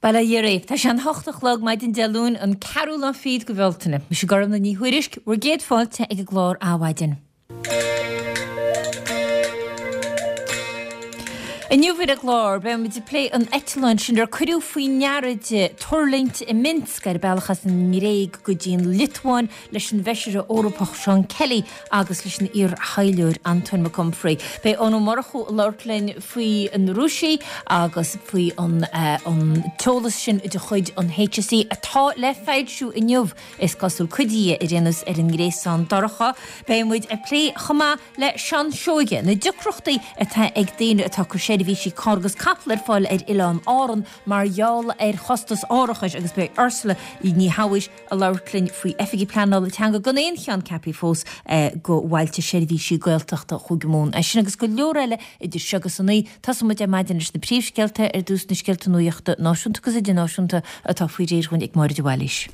Bail ó Dhia oraibh. Tá sé an hocht a chlog maidin Dé Luain, an ceathrú lá fichead de Bhealtaine. Mise Gormlaith Ní Thuairisg, bhur gcéad fáilte ag an gclár Adhmhaidin. Inniu ar an gclár, beidh muid ag plé an eitleáin sin ar cuireadh faoi ndeara di tuirlingt i Minsk ar a bealach as an nGréig go dtí an Liotuáin leis an bhFeisire Eorpach Seán Kelly agus leis an iar-thaidhleoir Antóin Mac Unfraidh. Beidh Eoin Ó Murchú ag labhairt linn faoi na Rúisigh agus faoi an t-eolas sin de chuid an HSE atá le foilsiú inniu, is cosúil, cuid dhe ar aon nós ar an ngréasán dorcha. Beidh muid ag plé chomh maith le Seán Seoige na deacrachtaí atá ag daoine atá ag cur seirbhísí carr agus capall ar fáil ar Oileán Árann mar gheall ar chostas árachais agus beidh Ursula Ní Shabhaois ag labhairt linn faoi Oifigigh Pleanála Teanga gan aon cheann ceaptha fós go Bhailte Seirbhísí Gaeltachta Chúige Mumhan. É sin agus go leor eile idir seo agus a naoi. Tosóidh muid ar maidin leis na príomhscéalta, ar dtús na scéalta nuachta náisiúnta agus idirnáisiúnta atá faoi réir dhúinn ag Máire de Bhailís.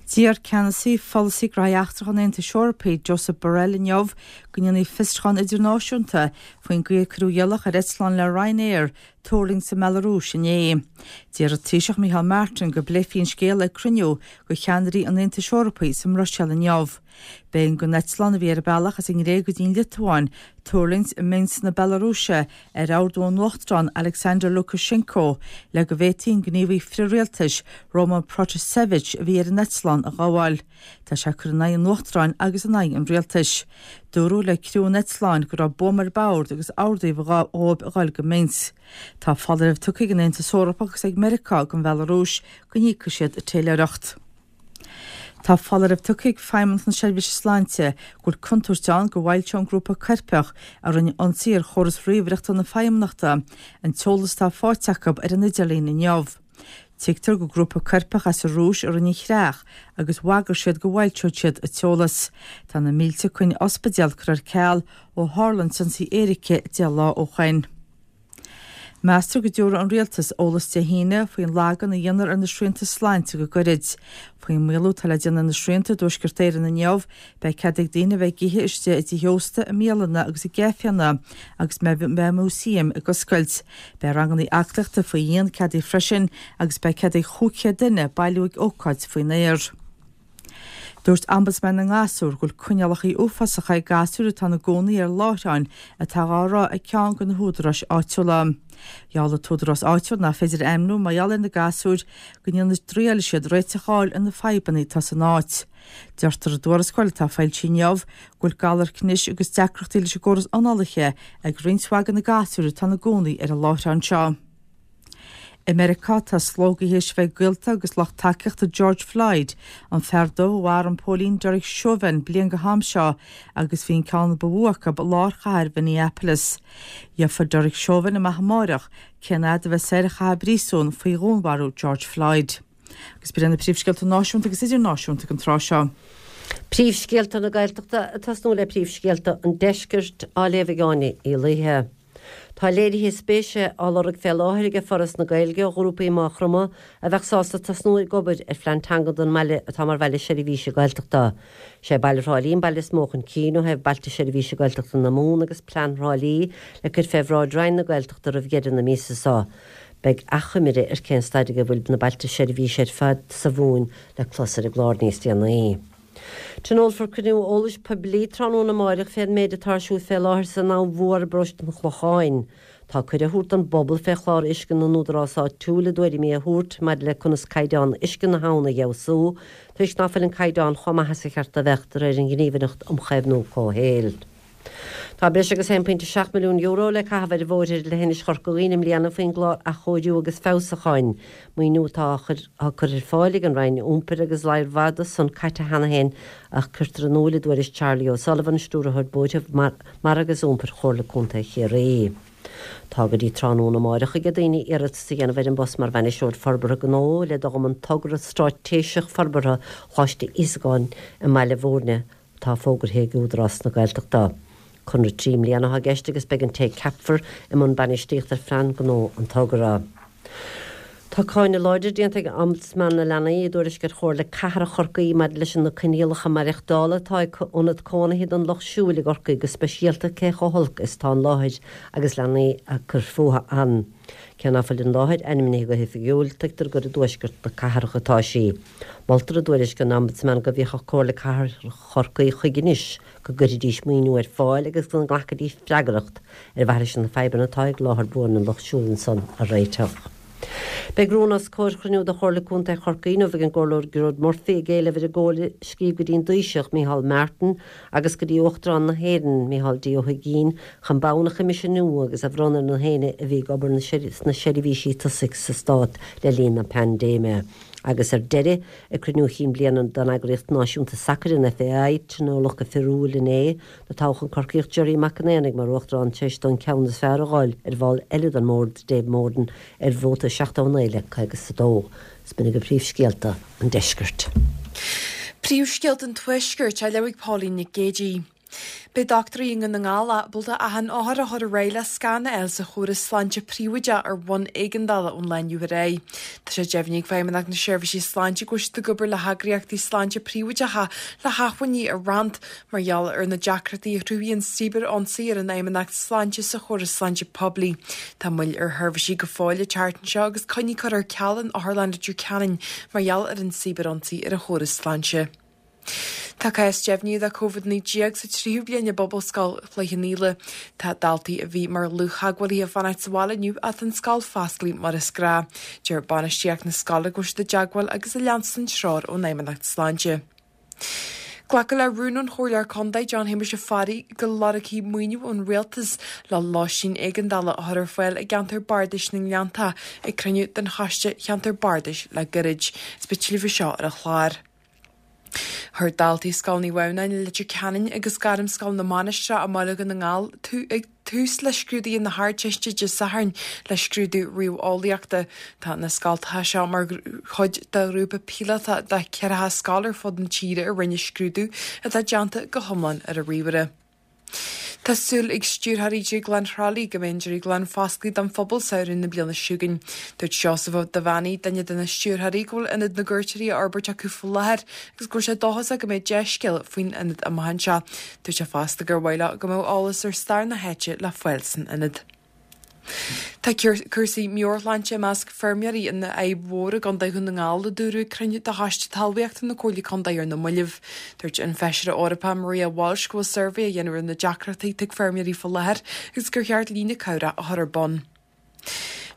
D'iarr ceannasaí pholasaí gnóthaí eachtracha an Aontais Eorpaigh, Josep Borrell inniu go ndéanfaí fiosrúchán idirnáisiúnta faoin gcaoi a cuireadh iallach ar eitleán le Ryanair tuirlingt sa mBealarúis inné. D'iarr an Taoiseach Micheál Martin go bpléifí an scéal ag cruinniú de cheannairí an Aontais Eorpaigh sa mBruiséil inniu. B'éigean don eitleán a bhí ar a bealach as an nGréig go dtí an Liotuáin tuirlingt i Minsk na Bealarúise ar ordú an Uachtaráin Alexander Lukashenko le go bhféadfaí an gníomhaí frith-rialtais Roman Protasevich a bhí ar an eitleán a ghabháil. Tá sé ag cur in aghaidh an Uachtaráin agus in aghaidh an rialtais. Dúradh le criú an eitleáin go raibh buama ar bord agus ordaíodh dhóibh a dhul go Minsk. Tá foláireamh tugtha ag an Aontas Eorpach agus ag Meiriceá don Bhealarúis go n-íocfaidh siad taidhleoireacht. Tá foláireamh tugtha ag Feidhmeannacht na Seirbhíse Sláinte go bhfuil contúirt ann go bhfoilseoidh an grúpa coirpeach a rinne ionsaí ar chóras ríomhaireachta na Feidhmeannachta an t-eolas atá faighte acu ar an idirlíon inniu. Tuigtear gur grúpa coirpeach as an Rúis a rinne an chreach agus bhagair siad go bhfoilseodh siad an t-eolas. Tá na mílte coinne ospidéal curtha ar ceal ó tharla an t-ionsaí éirice 10 lá ó shoin. Meastar go dtabharfaidh an Rialtas eolas Dé hAoine faoin lagán a dhéanfar ar na srianta sláinte go gairid. Faoin maolú atá le déanamh ar na srianta i dTuaisceart Éireann inniu, Beidh cead ag daoine a bheith ag ithe istigh i dtithe ósta, i mbialanna agus i gcaiféanna agus beidh músaeim ag oscailt. Beidh ranganna aclaíochta faoi dhíon ceadaithe freisin agus beidh cead ag 500 duine bailiú ag ócáid faoin aer. Dúirt Ombudsman na nGasúr go bhfuil coinníollacha uafásacha ag gasúir atá ina gcónaí ar láithreáin atá á rith ag ceann de na húdaráis áitiúla. Gheall an t-údarás áitiúil nach féidir a ainmniú mar gheall ar na gasúir go ndéanfaidh dtriailfidh siad réiteach a fháil ar na fadhbanna atá san áit. Deirtear i dtuarascáil atá foilsithe inniu go bhfuil galar cnis agus deacrachtaí leis an gcóras análaithe ag roinnt mhaith de na gasúir atá ina gcónaí ar an láithreán seo. I Meiriceá tá slógaithe théis a bheith ag gaolta agus lucht tacaíochta George Floyd, an fear dubh a mharaigh an póilín Derek Chauvin bliain go ham seo agus bhí an ceann ba mhó acu i lár chathair Mhinneapolis. Gheobhaidh Derek Chauvin amach amáireach cén fhad a bheas air a chaitheamh i bpríosún faoi dhúnmharú George Floyd. Agus b'in iad na príomhscéalta náisiúnta agus idirnáisiúnta ag an tráth seo. Príomhscéalta na Gaeltachta ag tosnú le príomhscéalta an Deiscirt á léamh ag Áine Uí Laoithe. Tá léirithe spéise á lorg fé láthair ag Foras na Gaeilge ó ghrúpaí i Maigh Chromtha a bheadh sásta tosnú ag obair ar phlean teanga don mbaile atá mar bhaile seirbhíse Gaeltachta. Sé baile Thrá Lí an baile is mó chun cinn ó thaobh Bailte Seirbhíse Gaeltachta na Mumhan agus plean Thrá Lí le cur fé bhráid Roinn na Gaeltachta roimh dheireadh na míosa seo. Beidh achoimre ar cén staid ag a bhfuil na bailte seirbhíse ar fad sa Mhumhain le clos ar an gclár níos déanaí. Tionólfar cruinniú eolais poiblí tráthnóna amáireach fén méid atá ar siúl fé láthair san Abhainn Mhór i bparóiste an Chlocháin. Tá cuireadh á thabhairt don bpobal fé chlár uisce na n-údarás áitiúil a dtuairimí a thabhairt maidir le conas caighdeán uisce na habhann a fheabhsú toisc ná fuil an caighdeán chomh maith is a cheart a bheadh de réir an Ghníomhaireacht um Chaomhnú Comhshaoil. Tá breis agus €1.7 milliún le caitheamh ar bhóithre ar leithinis Chorca Dhuibhne i mbliana faoin gclár Athchóiriú agus Feabhsúcháin, maoiniú atá á chur ar fáil ag an Roinn Iompair agus lear mhaith de san caite cheana féin ach cuirtear in iúl i dtuairisc Charlie O'Sullivan, Stiúrthóir Bóithre, Mara agus Iompair Chomhairle Contae Chiarraí. Tá go dtí tráthnóna amáireach ag daoine iarratas a dhéanamh ar an bpost mar Bhainisteoir Forbartha Gnó le dul i mbun togra straitéiseach forbartha Choláiste Íosagáin i mBaile Bhúirne atá fógartha ag Údarás na Gaeltachta. Conradh 3 mbliana atá i gceist agus beidh an té ceapfar i mbun bainistíocht ar phlean gnó an togra. Tá cáineadh láidir déanta ag Ombudsman na Leanaí i dtuairisc ar Chomhairle Cathrach Chorcaí maidir leis na coinníollacha maireachtála atá ag Ionad Cónaithe don Lucht Siúil i gCorcaigh, go speisialta cé chomh holc is atá an láthair agus leanaí ag cur fúthu ann. Cé ná fuil an láthair ainmnithe go hoifigiúil, tuigtear gur i dtuaisceart na cathrach atá sí. Moltar i dtuairisc an Ombudsman go bhféachfadh Comhairle Cathrach Chorcaí chuige anois go gcuirfidís maoiniú ar fáil agus go nglacfaidís freagracht ar mhaithe leis na fadhbanna atá ag láthair buan an lucht siúil ansan a réiteach. Beidh rún os comhair chruinniú de Chomhairle Contae Chorcaí inniu ag an gComhairleoir Gearóid Murphy ag éileamh ar an gComhairle scríobh go dtí an dTaoiseach, Micheál Martin, agus go dtí Uachtarán na hÉireann, Micheál D. Ó hUigínn, chun bonn a choimisiúnú agus a bhronnadh ar na héinne a bhí ag obair sna seirbhísí tosaigh sa Stát le linn na paindéime. Agus ar deireadh, Ag cruinniú chinn bliana den eagraíocht náisiúnta sacair, an FAI, tionóladh go fíorúil inné, do toghadh an Corcaíoch Gerry Mac an Aonaigh mar uachtarán tar éis dó an ceann is fearr a dh'fháil ar bhall eile den mbord, Dave Moran, ar vóta 79 le 52. Is b'in agaibh príomhscéalta an deiscirt. Príomhscéalta an Tuaiscirt á léamh ag Pauline Nic Géadaigh. Beidh dochtúirí i nDún na nGall ábalta achan othar a chur ar aghaidh le scan a fháil sa chóras sláinte príobháideach ar bhonn éigeandála ón lá inniu ar aghaidh. Tá sé deimhnithe ag Feidhmeannacht na Seirbhísí Sláinte go bhfuil siad ag obair le heagraíochtaí sláinte príobháideacha le hacmhainní a roinnt mar gheall ar na deacrachtaí a chruthaíonn cibear-ionsaí ar an Fheidhmeannacht Sláinte sa chóras sláinte poiblí. Tá moill ar sheirbhísí go fóill an tseachtain seo agus coinní curtha ar ceal in Otharlann Leitir Ceanainn mar gheall ar an cibear-ionsaí ar an chóras sláinte. Tá cás deimhnithe de Covid-19 sa tríú bliain i bPobalscoil Chloich Cheann Fhaola. Tá daltaí a bhí mar dhlúth-theagmhálaithe ag fanacht sa bhaile inniu ach tá an scoil fosclaithe mar is gnáth. Deir bainistíocht na scoile go bhfuil siad i dteagmháil agus ag leanstan treoir ón Fheidhmeannacht Sláinte. Glacadh le rún ón Chomhairleoir Contae John Shéamuis Ó Fearraigh go lorgfaí maoiniú ón Rialtas le lóistín éigeandála a chur ar fáil i gceantar Bardais na nGleanntach ag cruinniú den Choiste Cheantar Bardais le gairid. Is beidh tuilleadh faoi seo ar an chlár. Chuir daltaí Scoil Naomh Adhamhnáin i Leitir Ceanainn agus Gairmscoil na Mainistreach i mBaile Dhún na nGall tús le scrúduithe na hArdteiste Dé Sathairn le scrúdú ríomheolaíochta. Tá na scoltacha seo mar chuid de ghrúpa píolótach de cheathracha scoil ar fud na tíre a rinne scrúdú atá déanta go hiomlán ar an ríomhaire. Tá súil ag stiúrthóirí Dhrioglann Thrá Lí go mbeidh an drioglann fosclaithe don phobal samhradh na bliana seo chugainn. Dúirt Seosamh Ó Duibheannaigh, duine de na stiúrthóirí, go bhfuil Ionad na gCuairteoirí á fhorbairt acu faoi láthair agus go bhfuil sé dóchasach go mbeidh dea-scéal faoin ionad amach anseo. Dúirt sé fosta gur mhaith leo go mbeadh eolas ar stair na háite le fáil san ionad. Tá cúrsaí meabhairshláinte i measc feirmeoirí ina fhadhb mhór i gContae Dhún na nGall, a dúradh ag cruinniú de Choiste Talmhaíochta na Comhairle Contae ar na mallaibh. Dúirt an Feisire Eorpach Maria Walsh go bhfuil suirbhé á dhéanamh ar na deacrachtaí atá ag feirmeoirí faoi láthair agus gur cheart líne cabhrach a chur ar bun.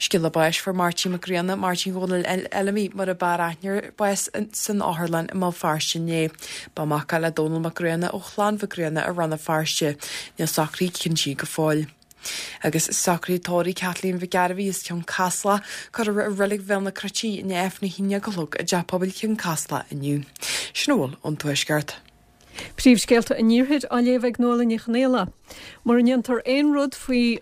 Scéala báis Fuair Máirtín Mac Grianna, Máirtín Dhónaill Fheilimí mar a b'fhearr aithne air, bás san otharlann i mBéal Feirste inné. Ba mhac é le Dónal Mac Grianna ó chlann Mhic Grianna i Rann na Feirste. Níl socruithe cinntithe go fóill. Agus socruithe tórraimh Kathleen Mhic Gairbhí as Cionn Caslach curtha i Reilig Bhéal na Cruite i ndiaidh Aifreann a haon déag a chlog i dTeach Pobail Chionn Caslach inniu. Sin a bhfuil ón Tuaisceart. Príomhscéalta an Iarthair á léamh ag Nuala Ní Chonghaile. Mura ndéantar aon rud faoi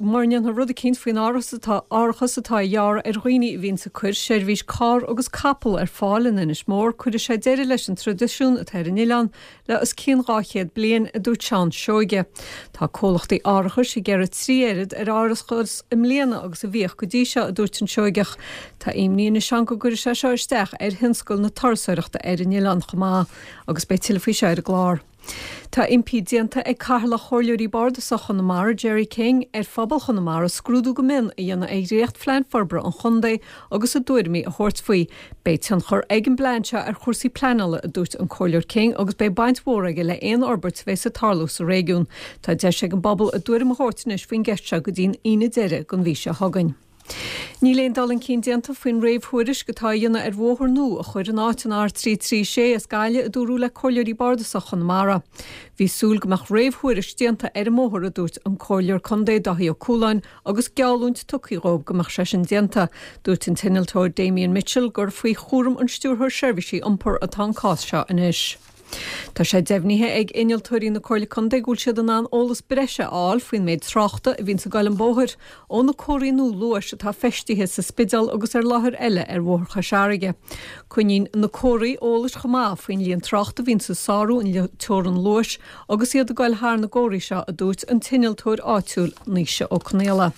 mura ndéanfar rud eicínt faoin árachas atá árachas atá á ghearradh ar dhaoine a bhíonns ag cur seirbhís carr agus capall ar fáil in Inis Mór, cuirfidh sé deireadh leis an traidisiún atá ar an oileán le os cionn 200 bliain, a dúirt Seán Seoige. Tá comhlachtaí árachais ag gearradh 3 oiread ar árachas i mbliana agus a bhíodh go dtí seo, a dúirt an Seoigeach. Tá imní anois ann go gcuirfidh sé seo isteach ar thionscal na turasóireachta ar an oileán chomh maith, agus beidh tuilleadh faoi seo ar an gclár. Tá impí déanta ag Cathaoirleach Chomhairleoirí Bardasacha Chonamara, Gerry King, ar phobal Chonamara scrúdú go mion a dhéanamh ar dhréachtphlean forbartha an chontae agus a dtuairimí a thabhairt faoi. Beidh tionchar ag an bplean seo ar chúrsaí pleanála, a dúirt an Comhairleoir King, agus beidh baint mhór aige le aon fhorbairt a bheas ag tarlú sa réigiún. Tá deis ag an bpobal a dtuairim a thabhairt anois faoin gceist seo go dtí'n Aoine deiridh den mhí seo chugainn. Níl aon dul chun cinn déanta faoin réamhthuairisc atá á dhéanamh ar bhóthar nua a chur in áit an R336 as Gaillimh, a dúradh le Comhairleoirí Bardasacha Chonamara. Bhí súil go mbeadh réamhthuairisc déanta ar an mbóthar, a dúirt an Comhairleoir Contae Dáithí Ó Cualáin, agus geallúint tugtha dhóibh go mbeadh sé sin déanta. Dúirt an t-innealtóir Damien Mitchell gur faoi chúram an Stiúrthóir Seirbhísí Iompair atá an cás seo anois. Tá sé deimhnithe ag innealtóirí na Comhairle Contae go bhfuil siad in ann eolas breise a fháil faoin méid tráchta a bhíonns ag goil an bóthar ó na comharthaí nua luais atá feistithe sa Spidéal agus ar láthair eile ar Bhóthar Chois Fharraige. Coinníonn na comharthaí eolais chomh maith faoin líon tráchta a bhíonns ag sárú an teorann luais agus iad ag goil thar na gcomharthaí seo, a dúirt an t-innealtóir áitiúil Naoise Ó Conaola.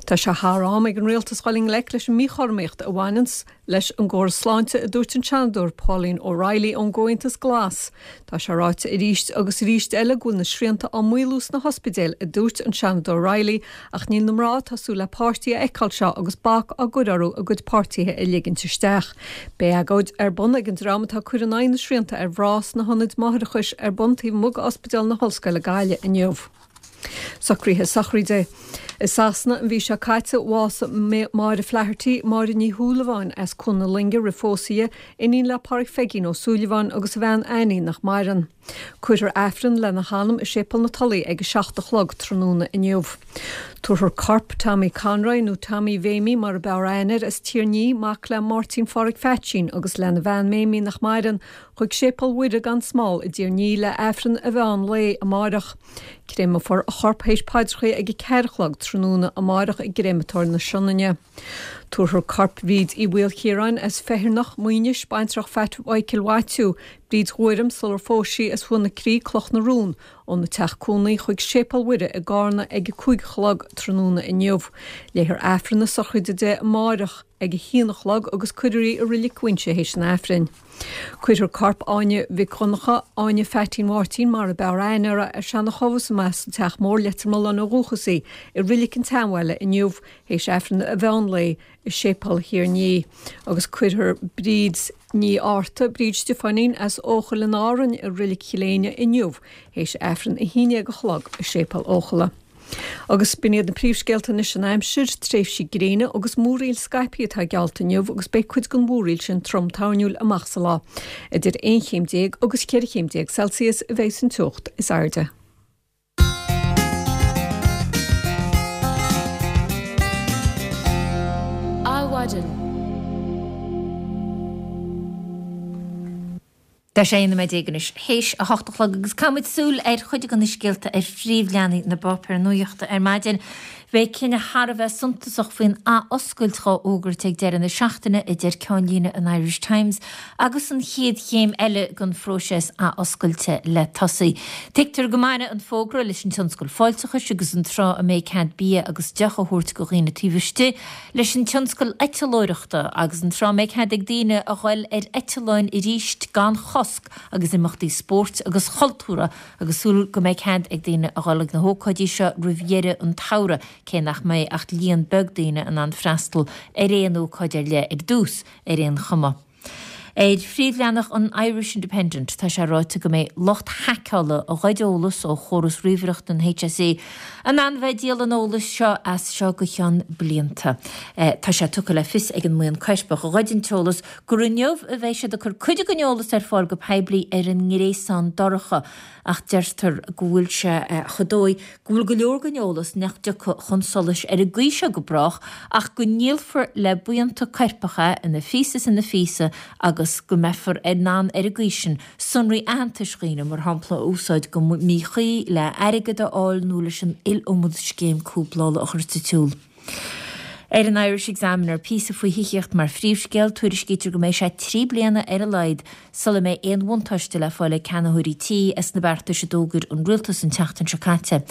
Tá sé thar am ag an rialtas dhul i ngleic leis an míchothromaíocht a bhaineanns leis an gcóras sláinte, a dúirt an Seanadóir Pauline O'Reilly ón gComhaontas Glas. Tá sé ráite arís agus arís eile go bhfuil na srianta á maolú sna hospidéil, a dúirt an Seanadóir Reilly, ach níl na mná atá ag súil le páistí a fheiceáil seo agus bac á gcur orthu a gcuid páirtithe a ligint isteach. Beidh agóid ar bun ag an dream atá ag cur in aghaidh na srianta ar mhná sna hionaid máithreachais ar bun taobh amuigh d'Ospidéal na hOllscoile Gaillimh inniu. Socruithe sochraide. I Sasana an mhí seo caite, bhásaigh Máire Flaherty, Máire Ní Shúilleabháin as Cuan na Loinge roimh phósadh di, iníon le Páraic Pheigín Ó Súilleabháin agus a bhean Annie nach maireann. Cuirfear Aifreann lena hanam i Séipéal na Tulaí ag 7 a chlog tráthnóna inniu. Tabharfar corp Tommy Conroy, nó Tommy Mhéimí mar a b'fhearr aithne air, as Tír an Fhia, mac le Máirtín Pháraic Pheaitsín agus lena bhean Méimí nach maireann, chuig Séipéal Mhuire gan Smál i dTír an Fhia le Aifreann a mheán lae amáireach. Créamfar a chorp théis paidreacha ag 4 a chlog tráthnóna amáireach i gCréamatóir na Sionainne. Tabharfar corp Bhríd Uí Mhaoilchiaráin as Feithearnach, Maínis, baintreach Phat Mhichael Mhaitiú, Bríd Ghuairim sular phós sí as Thuath na Crí, Cloch na Rún, óna teach cónaí chuig Séipéal Mhuire i gCarna ag 5 a chlog tráthnóna inniu. Léifear Aifreann na sochraide di amáireach ag 1 a chlog agus cuirfear í i Reilig Mhuinseo théis an Aifrinn. Cuirfear corp Áine Mhic Dhonncha, Áine Pheaitín Mháirtín mar a b'fhearr aithne uirthi, ar seana-chomharsa as an Teach Mór, Leitir Mealláin ó dhúchas í, i Reilig an tSeanbhaile inniu, théis Aifreann a mheán lae i Séipéal Thír an Fhia, agus cuirfear Bríd Ní Fhátharta, Bríd Stiofáinín, as Eochaill in Árainn i Reilig Chill Éinne inniu, théis Aifreann 11 a chlog i Séipéal Eochalla. Agus b'in iad na príomhscéalta anois an aimsir, tréimhsí gréine agus múraíl scaipthe atá geallta inniu agus beidh cuid den mhúraíl sin trom toirniúil amach sa lá. Idir 11 chéim agus 14 chéim Celsius a bheidh san teocht is airde. Adhmhaidin. Tá sé 11 nóiméad anois théis a hocht a chlog agus caithfimid súil ar chuid de na scéalta ar phríomhleathanaigh na bpáipéar nuachta ar maidin. Beidh cinneadh thar a bheith suntasach faoin athoscailt dhá fhógairt ag deireadh na seachtaine, a deir ceannlíne an Irish Times, agus an chéad chéim eile den phróiseas athoscailte le tosaí. Tuigtear go mbainfidh an fógra leis an tionscal fáilteachais agus an tráth a mbeidh cead bia agus deoch a thabhairt do dhaoine taobh istigh, leis an tionscal eitleoireachta agus an tráth a mbeidh cead ag daoine a ghoil ar eitleáin arís gan chosc agus imeachtaí spóirt agus chultúrtha agus súil go mbeidh cead ag daoine a ghoil ag na hócáidí seo roimh dheireadh an tsamhraidh cé nach mbeidh ach líon beag daoine in ann freastal ar aon ócáid ar leith ar dtús ar aon chuma. Ar phríomhleathanach an Irish Independent tá sé ráite go mbeidh lucht haiceála a ghoid eolas ó chóras ríomhaireachta an HSE in ann bheith ag díol an eolais seo as seo go ceann blianta. Tá sé tugtha le fios ag an mbuíon coirpeach a ghoid an t-eolas gur inniu a bheidh siad ag cur cuid den eolas ar fáil go poiblí ar an ngréasán dorcha ach deirtear go bhfuil sé chomh dóigh go bhfuil go leor den eolas nach dtiocfaidh chun solais ar an gcaoi seo go brách ach go ndíolfar le buíonta coirpeach é ina phíosa is ina phíosa agus go mbeifear in ann ar an gcaoi sin sonraí aitheantais dhaoine, mar shampla, a úsáid go míchuí le airgead a fháil nó leis an iliomad scéim cúplála a chur sa tsiúl. Ar an Irish Examiner, píosa faoi thithíocht mar phríomhscéal, tuairiscítear go mbeidh sé 3 bliana ar a laghad sula mbeidh aon bhuntáiste le fáil ag ceannaitheoirí tí as na beartais a d'fhógair an rialtas an tseachtain seo caite.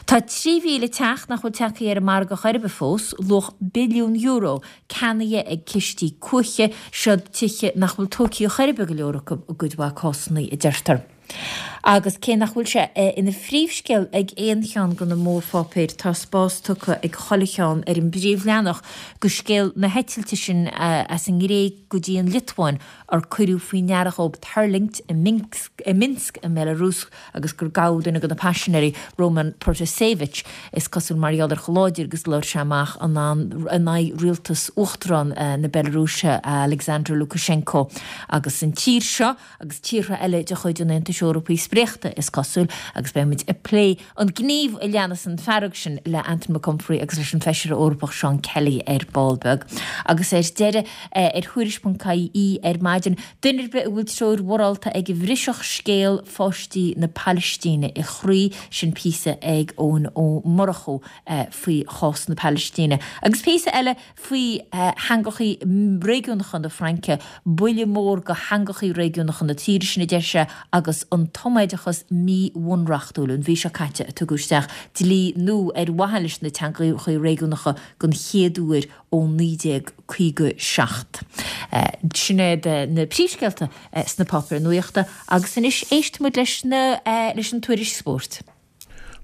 Tá 3,000 teach nach bhfuil tagtha ar an margadh chor ar bith fós, luach billiún euro, ceannaithe ag cistí cuaiche, seod tithe nach bhfuil tógtha chor ar bith go leor acu i gcuid mhaith cásanna, a deirtear. Agus cé nach bhfuil sé ina phríomhscéal ag aon cheann de na mórpháipéir, tá spás tugtha ag chuile cheann ar an bpríomhleathanach do scéal na heitilte sin as an nGréig go dtí an Liotuáin ar cuireadh faoi ndeara dhóib tuirlingt i Minsk i mBelarus agus gur gabhadh duine de na paisinéirí, Roman Protasevich, is cosúil mar gheall ar chomh láidir agus a labhair sé amach in aghaidh rialtas Uachtarán na Belarúise, Alexander Lukashenko. Agus an tír seo. agus tíortha eile de chuid an Aontais Eorpaigh spréachta, is cosúil, agus beidh muid ag plé an gníomh a leanas an fearg sin le Anton McConfrey agus leis an Feisire Eorpach Seán Kelly ar ball beag. Agus ar deireadh, ar Thuairisc.ie ar maidin, duine ar bith a bhfuil treoir mhorálta aige bhrisfeadh scéal pháistí na Palaistíne a chroí, sin píosa ag Eoin Ó Murchú faoi chás na Palaistíne. Agus píosa eile faoi theangachaí réigiúnacha na Fraince, buille mór do theangachaí réigiúnacha na tíre sin, a deir sé, agus an tumar. príobháideachas míbhunreachtúil. An mhí seo caite a tugadh isteach dlí nua ar mhaithe leis na teangacha réigiúnacha den chéad uair ó 1957. Sin iad na príomhscéalta sna páipéir nuachta agus anois éistfimid leis na leis an tuairisc spóirt.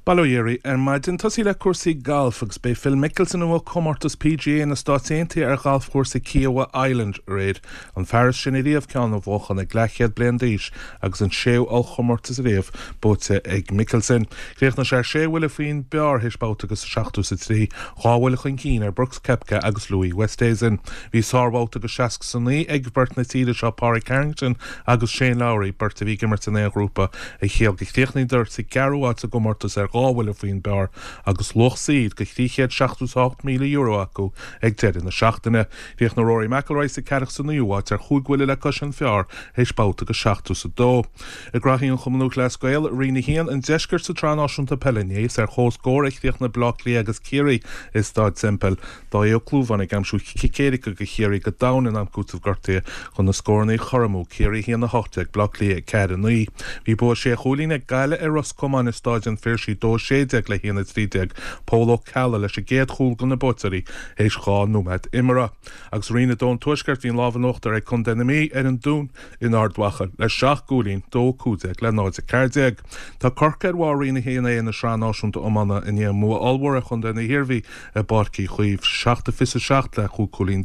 Bail ó Dhia oraibh ar maidin. Tosaí le cúrsaí gailf agus b'é Phil Mickelson a bhuaigh comórtas PGA na Stáit Aontaithe ar ghalfchúrsa Kiawah Island aréir. An fear is sine riamh ceann a bhuachan ag leathchéad bliain d'aois agus an séú ollchomórtas riamh buaite ag Mickelson. Chríochnaigh sé ar sé bhuille faoin bpar théis babhta agus a seachtó is a trí, dhá bhuille chun cinn ar Brooks Koepka agus Louis Oosthuizen. Bhí sárbhabhta agus 69 ag beirt na tíre seo, Pádraig Harrington agus Shane Lowry, beirt a bhí ag imirt in aon ghrúpa, a chiall gur chríochnaíodar sa gceathrú háit sa gcomórtas ar dhá bhuille faoin bpar agus luach saoir de €378,000 acu ag deireadh na seachtaine. Chríochnaigh Rory McIlroy sa ceathracha is a naoú háit ar chúig bhuille le cois an phar théis babhta agus 72. I gcraobh an Chumann Lúthchleas Gael, Roinn 1 an Deiscirt sa tSraith Náisiúnta Peile inné, is ar comhscór a chríochnaigh Bleá Cliath agus Ciarraí i Staid Semple. Dáithí Ó Clúmháin ag aimsiú cic éirice do Chiarraí go domhain in am cúitimh gortaithe chun na scóranna a chothromú, Ciarraí 1, 18, Bleá Cliath 4, 9. Bhí bua sé chúilín ag Gaillimh ar Ros Comáin i Stáid an Phiarsaigh, 2, 16 le 1, 13, Pól Ó Ceallaigh leis an gcéad chúl do na buaiteoirí théis 2 nóiméad imeartha. Agus i Roinn 2 an Tuaiscirt bhí an lámh in uachtar ag Contae na Mí ar an Dún in Ard Mhacha le seacht gcúilín, 2, 15 le 0, 14. Tá Corcaigh ar bharr Roinn 1A na Sraithe Náisiúnta Iomána i ndiaidh a mbua ollmhór ar chontae na hIarmhí i bPáirc Uí Chaoimh, 7, 27 le 15 cúilín,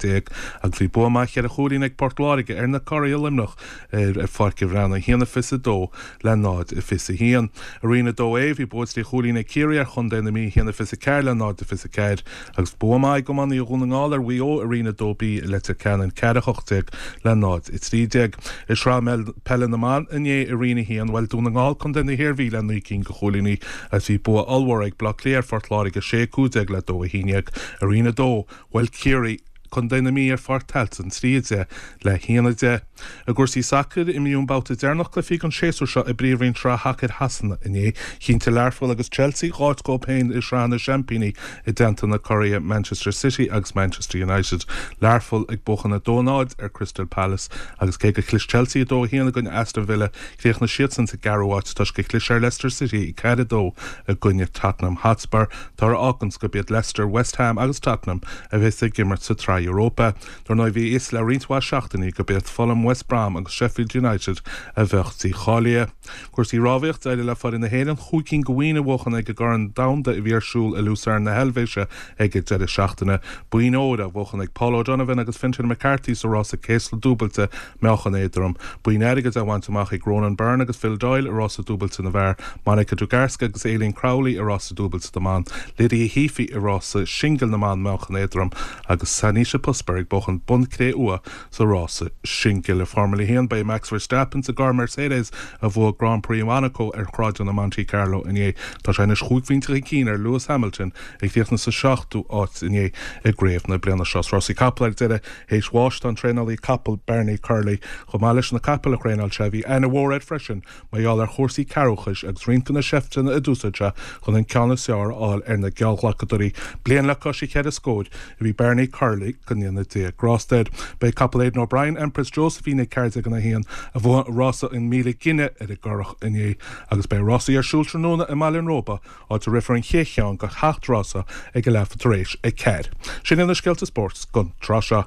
agus bhí bua maith cheithre chúilín ag Port Láirge ar na Curaigh i Luimneach ar Pháirc an Bhreathnaigh, 1, 22 le 0, 21. I Roinn 2A, bhí bua trí chúilín ag Ciarraí ar chontae na Mí, 1, 24 le 0, 24, agus bua maith ag iománaithe Dhún na nGall ar Mhaigh Eo i Roinn 2B i Leitir Ceanainn, 4, 18 le 0, 13. I Sraith Peile na mBan inné i Roinn 1, bhuail Dún na nGall contae na hIarmhí le naoi gcinn de chúilíní agus bhí bua ollmhór ag Bleá Cliath ar Phort Láirge, 6, 15 le 2, 11. I Roinn 2, bhuail Ciarraí contae na Mí ar Pháirc Tailteann, 3, 10 le 1, 10. I gcúrsaí sacair, imríodh an babhta deireanach cluichí den séasúr seo i bPríomhroinn Shraith Shacair Shasana inné. Chinntigh Learpholl agus Chelsea dh'áit dhóibh féin i Sraith na Seaimpíní i dteannta na curaidhe Manchester City agus Manchester United. Learpholl ag buachan 2, 0 ar Crystal Palace agus cé gur chlis Chelsea 2, 1 i gcoinne Aston Villa, chríochnaigh siadsan sa gceathrú háit toisc gur chlis ar Leicester City 4, 2 i gcoinne Tottenham Hotspur. Toradh a fháganns gurb iad Leicester, West Ham agus Tottenham a bheas ag imirt sa tSraith Europa. Dar ndóigh bhí a fhios le roinnt mhaith seachtainí gurb iad Fulham, West Brom agus Sheffield United a bheadh dícháilithe. Cúrsaí rámhaíochta, D'éirigh le foireann na hÉireann chúig cinn de bhoinn a bhuachan ag an gCorn Domhanda a bhí ar siúl i Lucerne na hEilvéise ag an deireadh seachtaine. Boinn óir á bhuachan ag Paul O'Donovan agus Fintan McCarthy sa rása céasla dúbailte meáchan éadrom. Boinn airgid á bhaint amach ag Ronan Byrne agus Phil Doyle i rása dúbailte na bhfear, Monica Dugarska agus Aileen Crowley i rása dúbailte na mban, Lydia Heaphy i rása singil na mban meáchan éadrom agus Sanisha Pusper ag buachan bonn cré-umha sa rása singil. I Formula 1, ba é Max Verstappen sa gcarr Mercedes a bhuaigh Grand Prix Mhonacó ar shráideanna Monte Carlo inné. Tá sé anois chúig phointe chun cinn ar Lewis Hamilton a chríochnaigh sa seachtú háit inné i gcraobh na bliana seo. Is rásaí capall ar deireadh, théis bháis tá an traenálaí capall Bernie Curley. Chomh maith leis na capaill a thraenáil sé, bhí aithne mhór air freisin mar gheall ar chúrsaí cearrbhachais agus roinnt de na seifteanna a d'úsáid sé chun an ceann is fearr a fháil ar na geallghlacadóirí. Bliain le cois a cheithre scóir a bhí Bernie Curley, go ndéana Dia grásta air. Ba é capall Aidan O'Brien, Empress Josephine ag 14-1, a bhuaigh rása an 1,000 gine ar an gCurrach inné agus beidh rásaí ar siúl tráthnóna i mBaile an Róba, áit a rithfear an chéad cheann de sheacht rása ag a leathuair tar éis a ceathair. Sin iad na scéalta spóirt don tráth seo.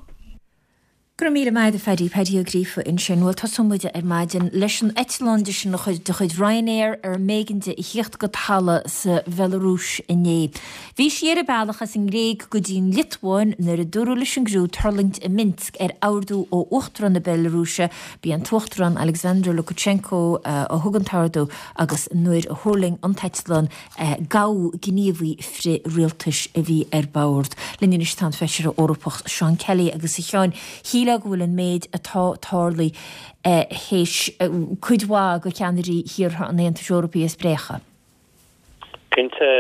Go raibh míle maith agat a Phaddy, Paddy Ó Gríofa ansin. Bhuel, tosóidh muid ar maidin leis an eitleán de sin de chuid Ryanair ar mb'éigean di a thíocht go talamh sa Bhealarúis inné. Bhí sí ar a bealach as an nGréig go dtí an Liotuáin nuair a dúradh leis an gcriú tuirlingt i Minsk ar ordú ó Uachtarán na Bealarúise, B'é an tUachtarán Alexander Lukashenko a thug an t-ordú agus nuair a thuirling an t-eitleán gabhadh gníomhaí frith-rialtais a bhí ar bord. Linn anois tá an Feisire Eorpach Seán Kelly agus a Sheáin, shílfeá go bhfuil an méid atá tarlaithe théis cuid mhaith de cheannairí thíortha an Aontais Eorpaigh a spréachadh. Cinnte,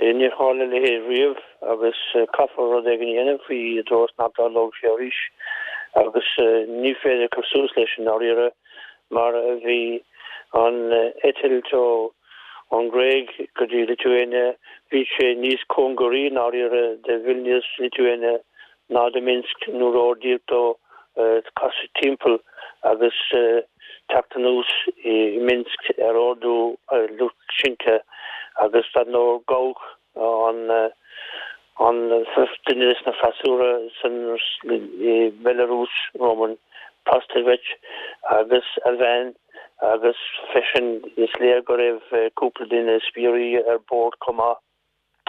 níor tharla a leithéid riamh agus caithfear rud éigin a dhéanamh faoi i dtreo is nach dtarlóidh sé arís agus ní féidir cur suas leis i ndáiríre mar a bhí an eitilt ón nGréig go dtí Lithuania, bhí sé níos cóngaraí i ndáiríre de Vilnius, Lithuania ná de Minsk nuair a ordaíodh dó casadh timpeall agus. teacht anuas i Minsk ar ordú Lukashenko agus dar ndóigh gabhadh an an duine des na freasúra san i mBelarus, Roman Prostovich, agus a bhean agus freisin is léir go raibh cúpla duine spiairí ar bord chomh maith.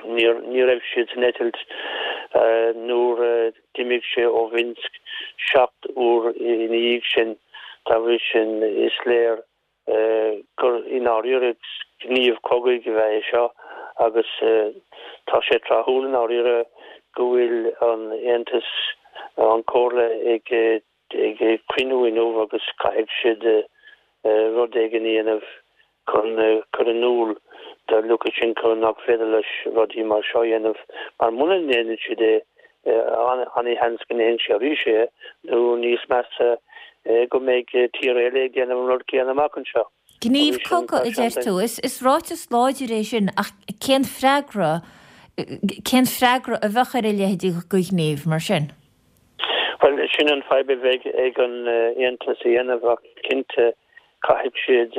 Ní raibh siad san eitilt nuair a d'imigh sé ó Mhinsk 7 uair ina dhiaidh sin. Dá bhrí sin, is léir gur i ndáiríre gníomh cogaidh a bhí é seo agus tá sé tráthúil i ndáiríre go bhfuil an Aontas, an Chomhairle ag ag cruinniú inniu agus caithfidh siad rud éigin a dhéanamh chun cur in iúl do Lukashenko nach féidir leis rudaí mar seo a dhéanamh mar muna ndéanann siad é an-sheans go ndéanfaidh sé arís é nó níos measa go mbeidh tír eile ag déanamh an rud céanna amach anseo. Gníomh cogaidh, a deir tú. Is ráiteas láidir é sin ach cén freagra, cén freagra a bheadh ar a leithéid de ghníomh mar sin? Bhuel, sin an fadhb a bheidh ag an Aontas a dhéanamh ach cinnte caithfidh siad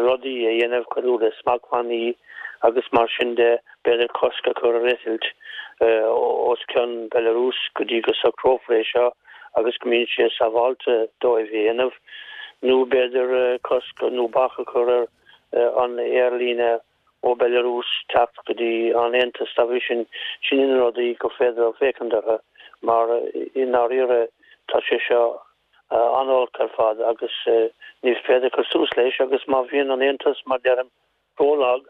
rudaí a dhéanamh cosúil le smachtbhannaí agus mar sin de, b'fhéidir cosc a chur ar eitilt os cionn Belarus go dtí go socrófar é seo agus go mbíonn sé sábháilte dóibh a dhéanamh nó b'fhéidir cosc nó bac a chur ar an aerlíne ó Belarus teacht go dtí an Aontas. Dá bhrí sin, sin na rudaí gur féidir féachaint orthu mar i ndáiríre tá sé seo an-olc ar fad agus ní féidir cur suas leis agus má bhíonn an Aontas, mar deirim, rólag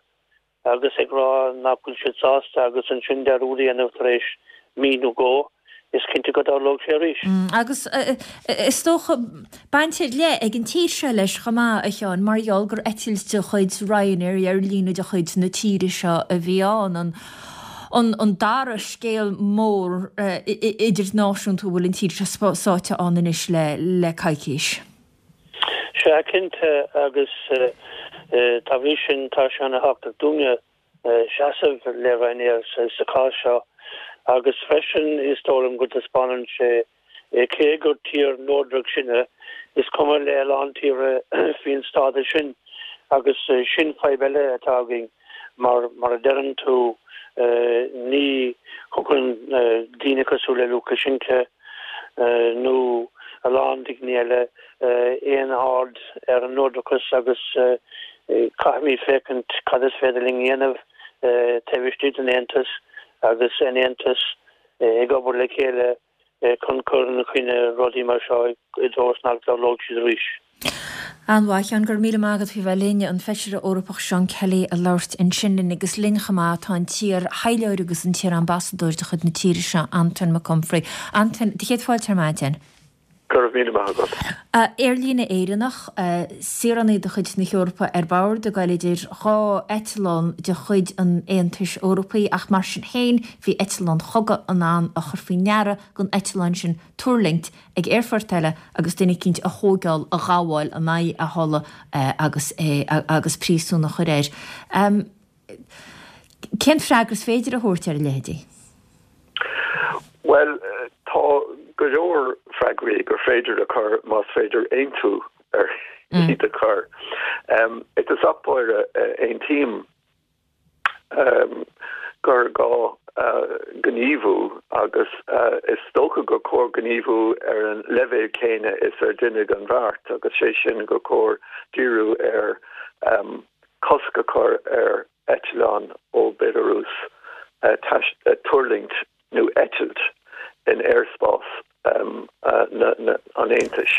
agus ag rá nach bhfuil siad sásta agus ansin dearúd a dhéanamh tar éis mí nó dhó, is cinnte go dtarlóidh sé arís. Agus is dócha, baint ar leith ag an tír seo leis chomh maith, a Sheáin, mar gheall gur eitilt de chuid Ryanair, aerlíne de chuid na tíre seo a bhí ann. An dara scéal mór idirnáisiúnta a bhfuil an tír seo sáite ann anois le coicís. Sea, cinnte, agus dá bhrí sin tá sé ana-thábhachtach dúinne seasamh le Ryanair sa chás seo agus freisin is dóigh liom go dtaispeánann sé cé gur tír neodrach sinne, is cuma le a lán tíortha faoin stádas sin agus sin fadhb eile atá againn mar mar a deireann tú ní thugann daoine cosúil le Lukashenko nó a lán daoine eile aon aird ar an neodrachas agus caithfimid féachaint cad is féidir linn a dhéanamh taobh istigh den Aontas agus an Aontas ag obair le chéile chun cur ina choinne rudaí mar seo i dtreo is nach dtarlóidh siad arís. An-mhaith, a Sheáin, go raibh míle maith agat faoi bheith linn. An Feisire Eorpach Seán Kelly ag labhairt ansin linn agus linn chomh maith tá an t-iar-thaidhleoir agus an t-iar-ambasadóir de chuid na tíre seo, Antain Mac Unfraidh. Antain, do chéad fáilte ar maidin. Go raibh míle maith agat. Aerlíne Éireannach, saoránaigh de chuid na hEorpa ar bord ag goil idir dhá eitleán de chuid an Aontais Eorpaigh ach mar sin féin bhí eitleán chogaidh in ann a chur faoi ndeara don eitleán sin tuirlingt ag aerfort eile agus duine eicínt a thóigeáil, a ghabháil in aghaidh a thola agus é agus príosún a chur air. Cén freagra is féidir a thabhairt ar a leithéidí? Bhuel, tá go leor freagraí gur féidir a chur más féidir aontú ar iad a chur. I dtosach báire, aontaím gur gá gníomhú agus is dócha gur chóir gníomhú ar an leibhéal céanna is ar deineadh an bheart agus sé sin gur chóir díriú ar cosc a chur ar eitleán ó Belarus tuirlingt nó eitilt in aerspás an Aontais.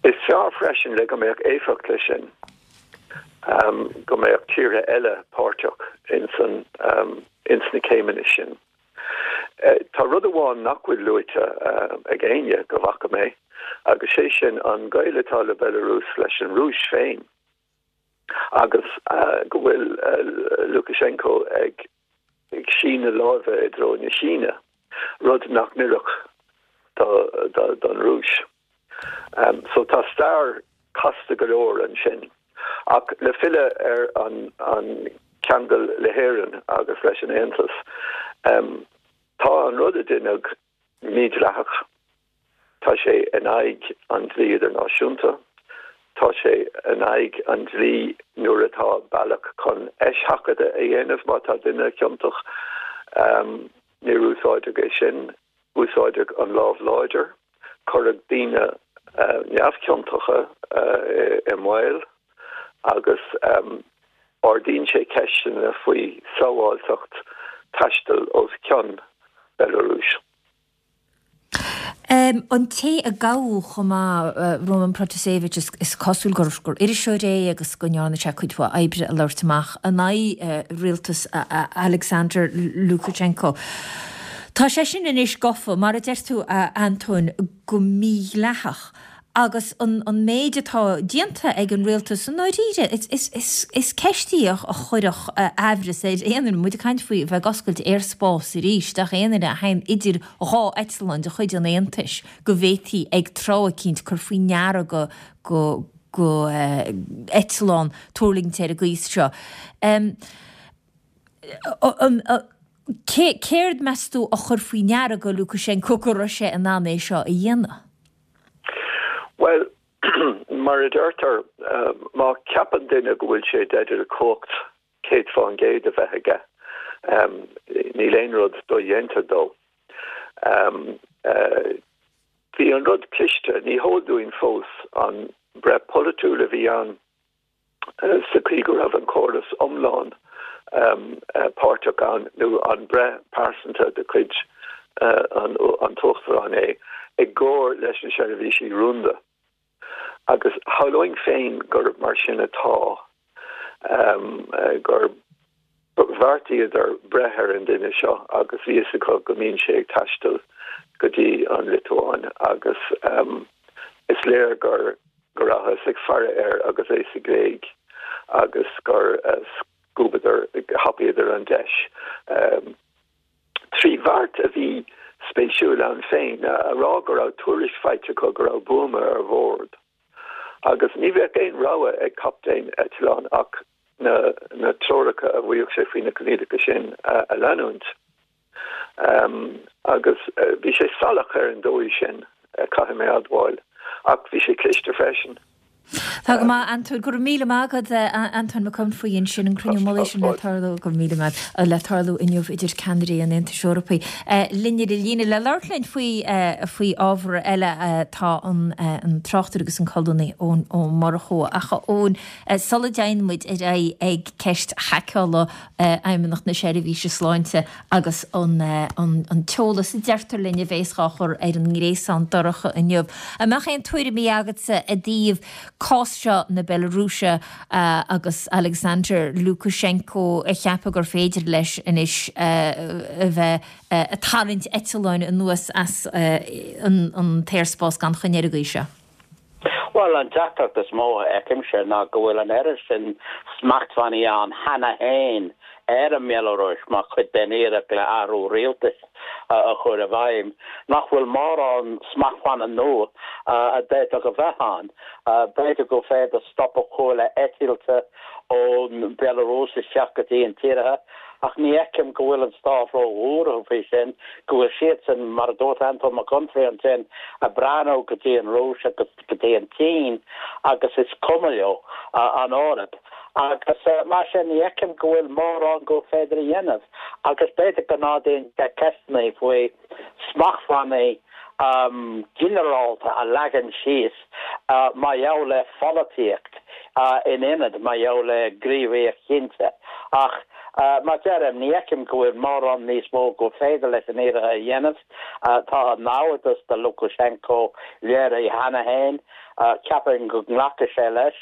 Is fearr freisin, le go mbeadh éifeacht leis sin, go mbeadh tíortha eile páirteach ins na céimeanna sin. Tá rud amháin nach bhfuil luaite ag éinne, go bhfaca mé, agus sé sin an gaol atá le Belarus leis an Rúis féin. agus go bhfuil Lukashenko ag síneadh láimhe i dtreo na Síne, rud nach n-oirfeadh don Rúis. So tá stair casta go leor ansin. Ach le filleadh ar an ceangal le hÉirinn agus leis an Aontas, tá an rud a deineadh mídhleathach. Tá sé in aghaidh an dlí idirnáisiúnta. Tá sé in aghaidh an dlí nuair atá bealach chun eiseachadadh a dhéanamh má tá duine ciontach. Níor úsáideadh é sin. Úsáideadh an lámh láidir. Cuireadh daoine neamhchiontacha i mbaol agus ardaíonn sé ceisteanna faoi sábháilteacht taistil os cionn Belarus. An té a gabhadh chomh maith, Roman Protasevich, is cosúil gur iriseoir é agus go ndearna sé cuid mhaith oibre ag labhairt amach in aghaidh rialtas Alexander Lukashenko. Tá sé sin anois gafa, mar a deir tú, a Antóin, go mídhleathach. Agus an méid atá déanta ag an rialtas, i ndáiríre, is ceist í a chuirfeadh aimhreas ar aon duine. Muid ag caint faoi bheith ag oscailt aerspás arís d'aon duine a théann idir dhá eitleán de chuid an Aontais go bhféadfaí ag tráth eicínt cur faoi ndeara go go eitleán tuirlingt ar an gcaoi seo. Céard, meas tú, a chuir faoi ndeara go Lukashenko go raibh sé in ann é seo a dhéanamh? Bhuel, mar a deirtear, má cheapann duine go bhfuil sé i dteideal cumhacht 100% a bheith aige, níl aon rud dodhéanta dó. Bhí an rud cliste, ní heol dúinn fós an breith pholaitiúil a bhí ann, sa chaoi go raibh an córas iomlán páirteach ann, nó an breith pearsanta de chuid an tUachtaráin é, i gcomhar leis na seirbhísí rúnda. Agus shamhlóinn féin gurb mar sin atá, gur bheartaíodar breith ar an duine seo agus bhí fhios acu go mbíonn sé ag taisteal go dtí an Liotuáin agus is léir gur go rabhthas ag faire air agus é sa Ghréig agus gur scuabadar, thapaíodar an deis trí bheart a bhí spéisiúil ann féin, a rá go raibh tuairisc faighte acu go raibh buama ar bhord. Agus ní bheadh aon rogha ag captaen eitleáin ach na treoracha a bhfaigheadh sé faoi na coinníollacha sin a leanúint. Agus bhí sé salach ar an dóigh sin, caithfidh mé a admháil, ach bhí sé cliste freisin. Tá go maith, Antóin. Go raibh míle maith agat, Antóin Mac Unfraidh, ansin, an cruinniú mullaigh sin le tarlú, go raibh míle maith, le tarlú inniu idir ceannairí an Aontais Eorpaigh. Linn ar an líne le labhairt linn faoi, faoi ábhar eile tá an, an tráchtaire agus an colúnaí Eoin Ó Murchú. Ach a Eoin, sula dtéann muid ar aghaidh ag ceist haiceála Fheidhmeannacht na Seirbhíse Sláinte agus an t-eolas a deirtear linn a bhéas dhá chur ar an ngréasán dorcha inniu. An mbeadh aon tuairimí agatsa i dtaobh cás seo na Bealarúise agus Alexander Lukashenko ag ceapadh gur féidir leis anois a bheith ag tarraingt eitleáin anuas as an t-aerspás gan choinne ar an gcaoi seo? Bhuel, an deacracht is mó a fheicimse ná go bhfuil an oiread sin smachtbhannaí ann cheana féin ar an mBealarúis mar chuid den iarracht le athrú rialtais a chur i bhfeidhm, nach bhfuil mórán smachtbhanna nua a d'fhéadfadh a bheith ann. B'fhéidir gur féidir stop a chur le eitilte ón Bhealarúis isteach go dtí an tíortha, ach ní fheicim go bhfuil an stát ró-bhuartha faoi sin, go bhfuil siadsan, mar a dúirt Antóin Mac Unfraidh ansin, ag breathnú go dtí an Rúis agus go dtí an tSín agus is cuma leo an Eoraip. Agus mar sin, ní fheicim go bhfuil mórán gur féidir a dhéanamh agus b'fhéidir go n-ardaíonn sé ceisteanna faoi smachtbhannaí ginearálta a leagan síos mar gheall le pholaitíocht in ionad mar gheall le gníomhaíocht chinnte. Ach mar deirim, ní fheicim go bhfuil mórán níos mó gur féidir leis an iarthar a dhéanamh. Tá a naimhdeas do Lukashenko léirithe cheana féin. Ceapaim go nglacfaidh sé leis.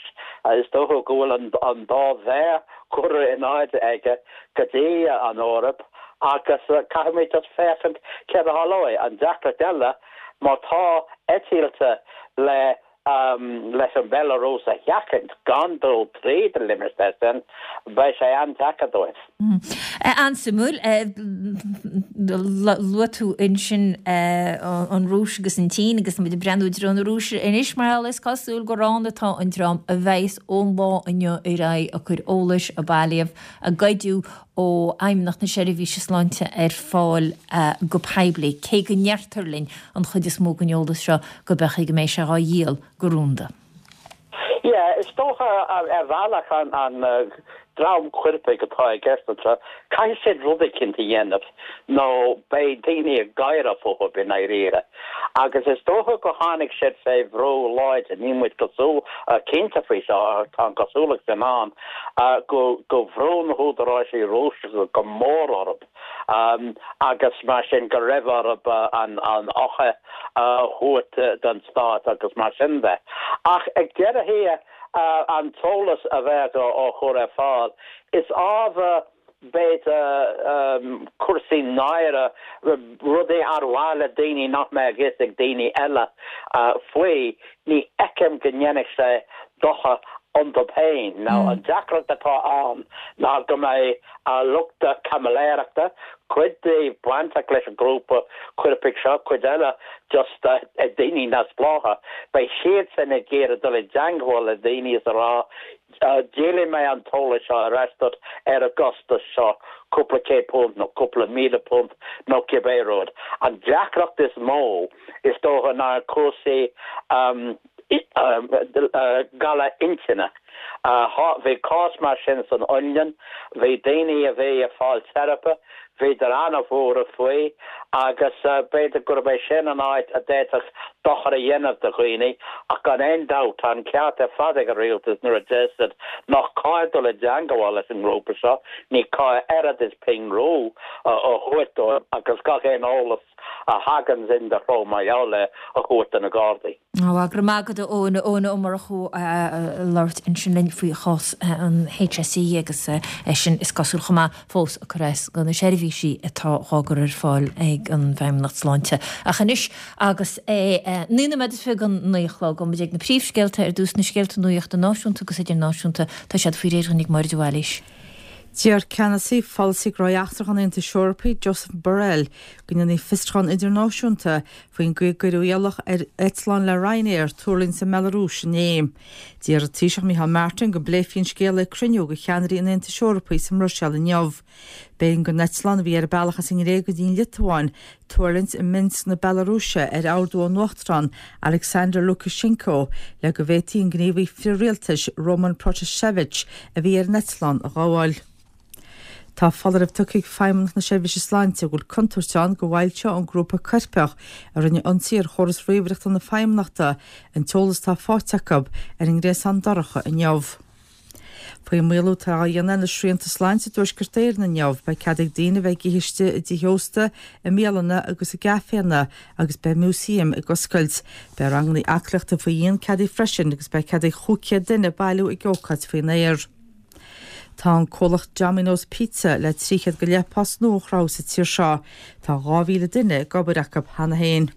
Is dócha go bhfuil an dá mhéar curtha in airde aige go dtí an Eoraip agus caithfimid just féachaint céard a tharlóidh. An deacracht eile, má tá eitilte le leis an Bhealarúis a sheachaint gan dul tríd an limistéar sin, beidh sé an-deacair dóibh. An-suimiúil. Luaigh tú ansin an Rúis agus an tSín agus tá muid ag breathnú i dtreo na Rúise anois mar gheall is cosúil gur ann atá an dream a bheas ón lá inniu ar aghaidh ag cur eolais a bailíodh, a goideadh ó Fheidhmeannacht na Seirbhíse Sláinte ar fáil go poiblí, cé go ndeirtear linn an chuid is mó den eolas seo go beadh go mbeidh sé dhá dhíol go rúnda. Yeah, is dócha ar bhealach an dream coirpigh atá i gceist anseo, caithfidh siad rud eicínt a dhéanamh nó beidh daoine ag gáire fúthu i ndáiríre. Agus is dócha go tháinig siad fé bhrú láidir, níl muid cosúil, cinnte faoi seo ach tá an cosúlacht sin ann, go go bhrú na húdaráisí Rúiseacha go mór orthu agus mar sin go raibh orthu an an fhoiche a thabhairt don stát agus mar sin de. Ach ag deireadh thiar, an t-eolas a bheadh á chur ar fáil, is ábhar b'fhéidir cúrsaí náire, rudaí ar mhaith le daoine nach mbeadh fhios ag daoine eile faoi, ní fheicim go ndéanfadh sé dochar iontu féin. Now an deacracht atá ann ná go mbeidh lucht caimiléireachta, cuid díobh bainteach leis an ghrúpa coirpigh seo, cuid eile just daoine neamhspleácha, beidh siadsan ag iarraidh dul i dteangmháil le daoine is a rá díolfaidh mé an t-eolas seo ar ais duit ar an gcostas seo, cúpla £100 nó cúpla £1,000 nó cibé rud. An deacracht is mó is dócha ná cúrsaí galar intinne. Bhí cás mar sin san Fhionlainn, bhí daoine a bhí ag fáil teiripe, bhíodar an-bhuartha faoi agus b'fhéidir gurb é sin an áit a d'fhéadfadh dochar a dhéanamh do dhaoine ach gan aon dabht tá an ceart ar fad ag an rialtas nuair a deir siad nach cóir dul i dteangmháil leis an ngrúpa seo, ní cóir oiread is pingin rua a thabhairt dóibh agus gach aon eolas a thaganns in do threo mar gheall air a thabhairt do na Gardaí. Ó, go raibh maith agat a Eoin, Eoin Ó Murchú ag labhairt ansin linn faoi chás an HSE agus eisean is cosúil chomh maith fós ag cur as do na seirbhísí atá dhá gcur ar fáil ag an bhFeidhmeannacht Sláinte. Ach anois agus é 29 nóiméad don 9 a chlog, gabhfaidh muid ag na príomhscéalta ar dtús, na scéalta nuachta náisiúnta agus idirnáisiúnta, tá siad faoi réir dhúinn ag Máire de Bhailís. Deir ceannasaí pholasaí gnóthaí eachtracha an Aontais Eorpaigh, Josep Borrell, go ndéanfaí fiosrúchán idirnáisiúnta faoin gcaoi a gcuireadh iallach ar eitleán le Ryanair tuirlingt sa mBealarúis inné. D'iarr an Taoiseach Micheál Martin go bpléifí an scéal ag cruinniú de cheannairí an Aontais Eorpaigh sa mBruiséil inniu. B'éigean don eitleán, a bhí ar a bealach as an nGréig go dtí an Liotuáin, tuirlingt i Minsk na Bealarúise ar ordú ón Uachtarán Alexander Lukashenko le go bhféadfaí an gníomhaí frith-rialtais Roman Protasevich a bhí ar an eitleán a ghabháil. Tá foláireamh tugtha ag Feidhmeannacht na Seirbhíse Sláinte go bhfuil contúirt ann go bhfoilseodh an grúpa coirpeach a rinne ionsaí ar chóras ríomhaireachta na Feidhmeannachta an t-eolas atá faighte acu ar an ngréasán dorcha inniu. Faoin maolú atá á dhéanamh ar na srianta sláinte i dTuaisceart Éireann inniu, beidh cead ag daoine a bheith ag ithe istigh i dtithe ósta, i mbialanna agus i gcaiféanna agus beidh músaeim ag oscailt. Beidh ranganna aclaíochta faoi dhíon ceadaithe freisin agus beidh cead ag 500 duine bailiú ag ócáid faoin aer. Tá an comhlacht Domino's Pizza le 300 go leith post nua a chruthú sa tír seo. Tá 2,000 duine ag obair acu cheana féin.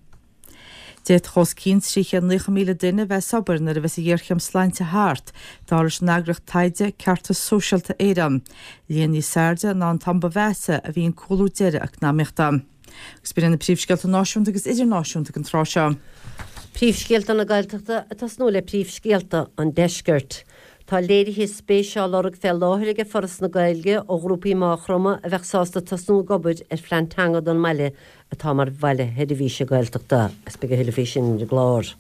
D'fhéadfadh os cionn 390,000 duine a bheith as obair nuair a bheas an ghéarchéim sláinte thart, dar leis an eagraíocht taighde Ceartas Sóisialta Éireann. Líon níos airde ná an t-am ba mheasa a bhí an cúlú deiridh eacnamaíochta. Agus b'in iad na príomhscéalta náisiúnta agus idirnáisiúnta ag an tráth seo. Príomhscéalta na Gaeltachta ag tosnú le príomhscéalta an Deiscirt. Tá léirithe spéise á lorg fé láthair ag Foras na Gaeilge ó ghrúpaí i Maigh Chromtha a bheadh sásta tosnú ag obair ar phlean teanga don mbaile atá mar bhaile sheirbhíse Gaeltachta, agus beidh a thuilleadh faoi sin ar an gclár.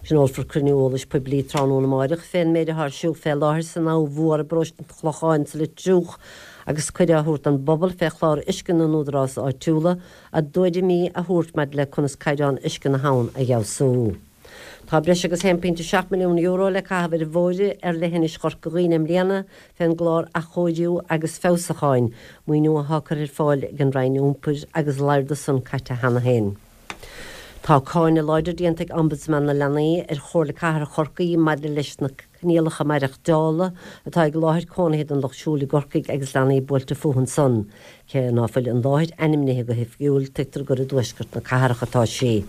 Tionólfar cruinniú eolais poiblí tráthnóna amáireach fén méid atá ar siúl fé láthair san Abha Mhór i bparóiste an Chlocháin sa Leitriúch agus cuireadh á thabhairt don bpobal fé chlár uisce na n-údarás áitiúla a dtuairimí a thabhairt maidir le conas caighdeán uisce na habhann a fheabhsú. Tá breis agus €1.7 milliún le caitheamh ar bhóithre ar leithinis Chorca Dhuibhne i mbliana fén gclár Athchóiriú agus Feabhsúcháin, maoiniú athá curtha ar fáil ag an Roinn Iompair agus lear de san caite cheana féin. Tá cáineadh láidir déanta ag Ombudsman na Leanaí ar Chomhairle Cathrach Chorcaí maidir leis na coinníollacha maireachtála atá ag láthair cónaithe don Lucht Siúil i gCorcaigh agus leanaí buailte fúthu ansan. Cé ná fuil an láthair ainmnithe go hoifigiúil, tuigtear gur i dtuaisceart na cathrach atá sí.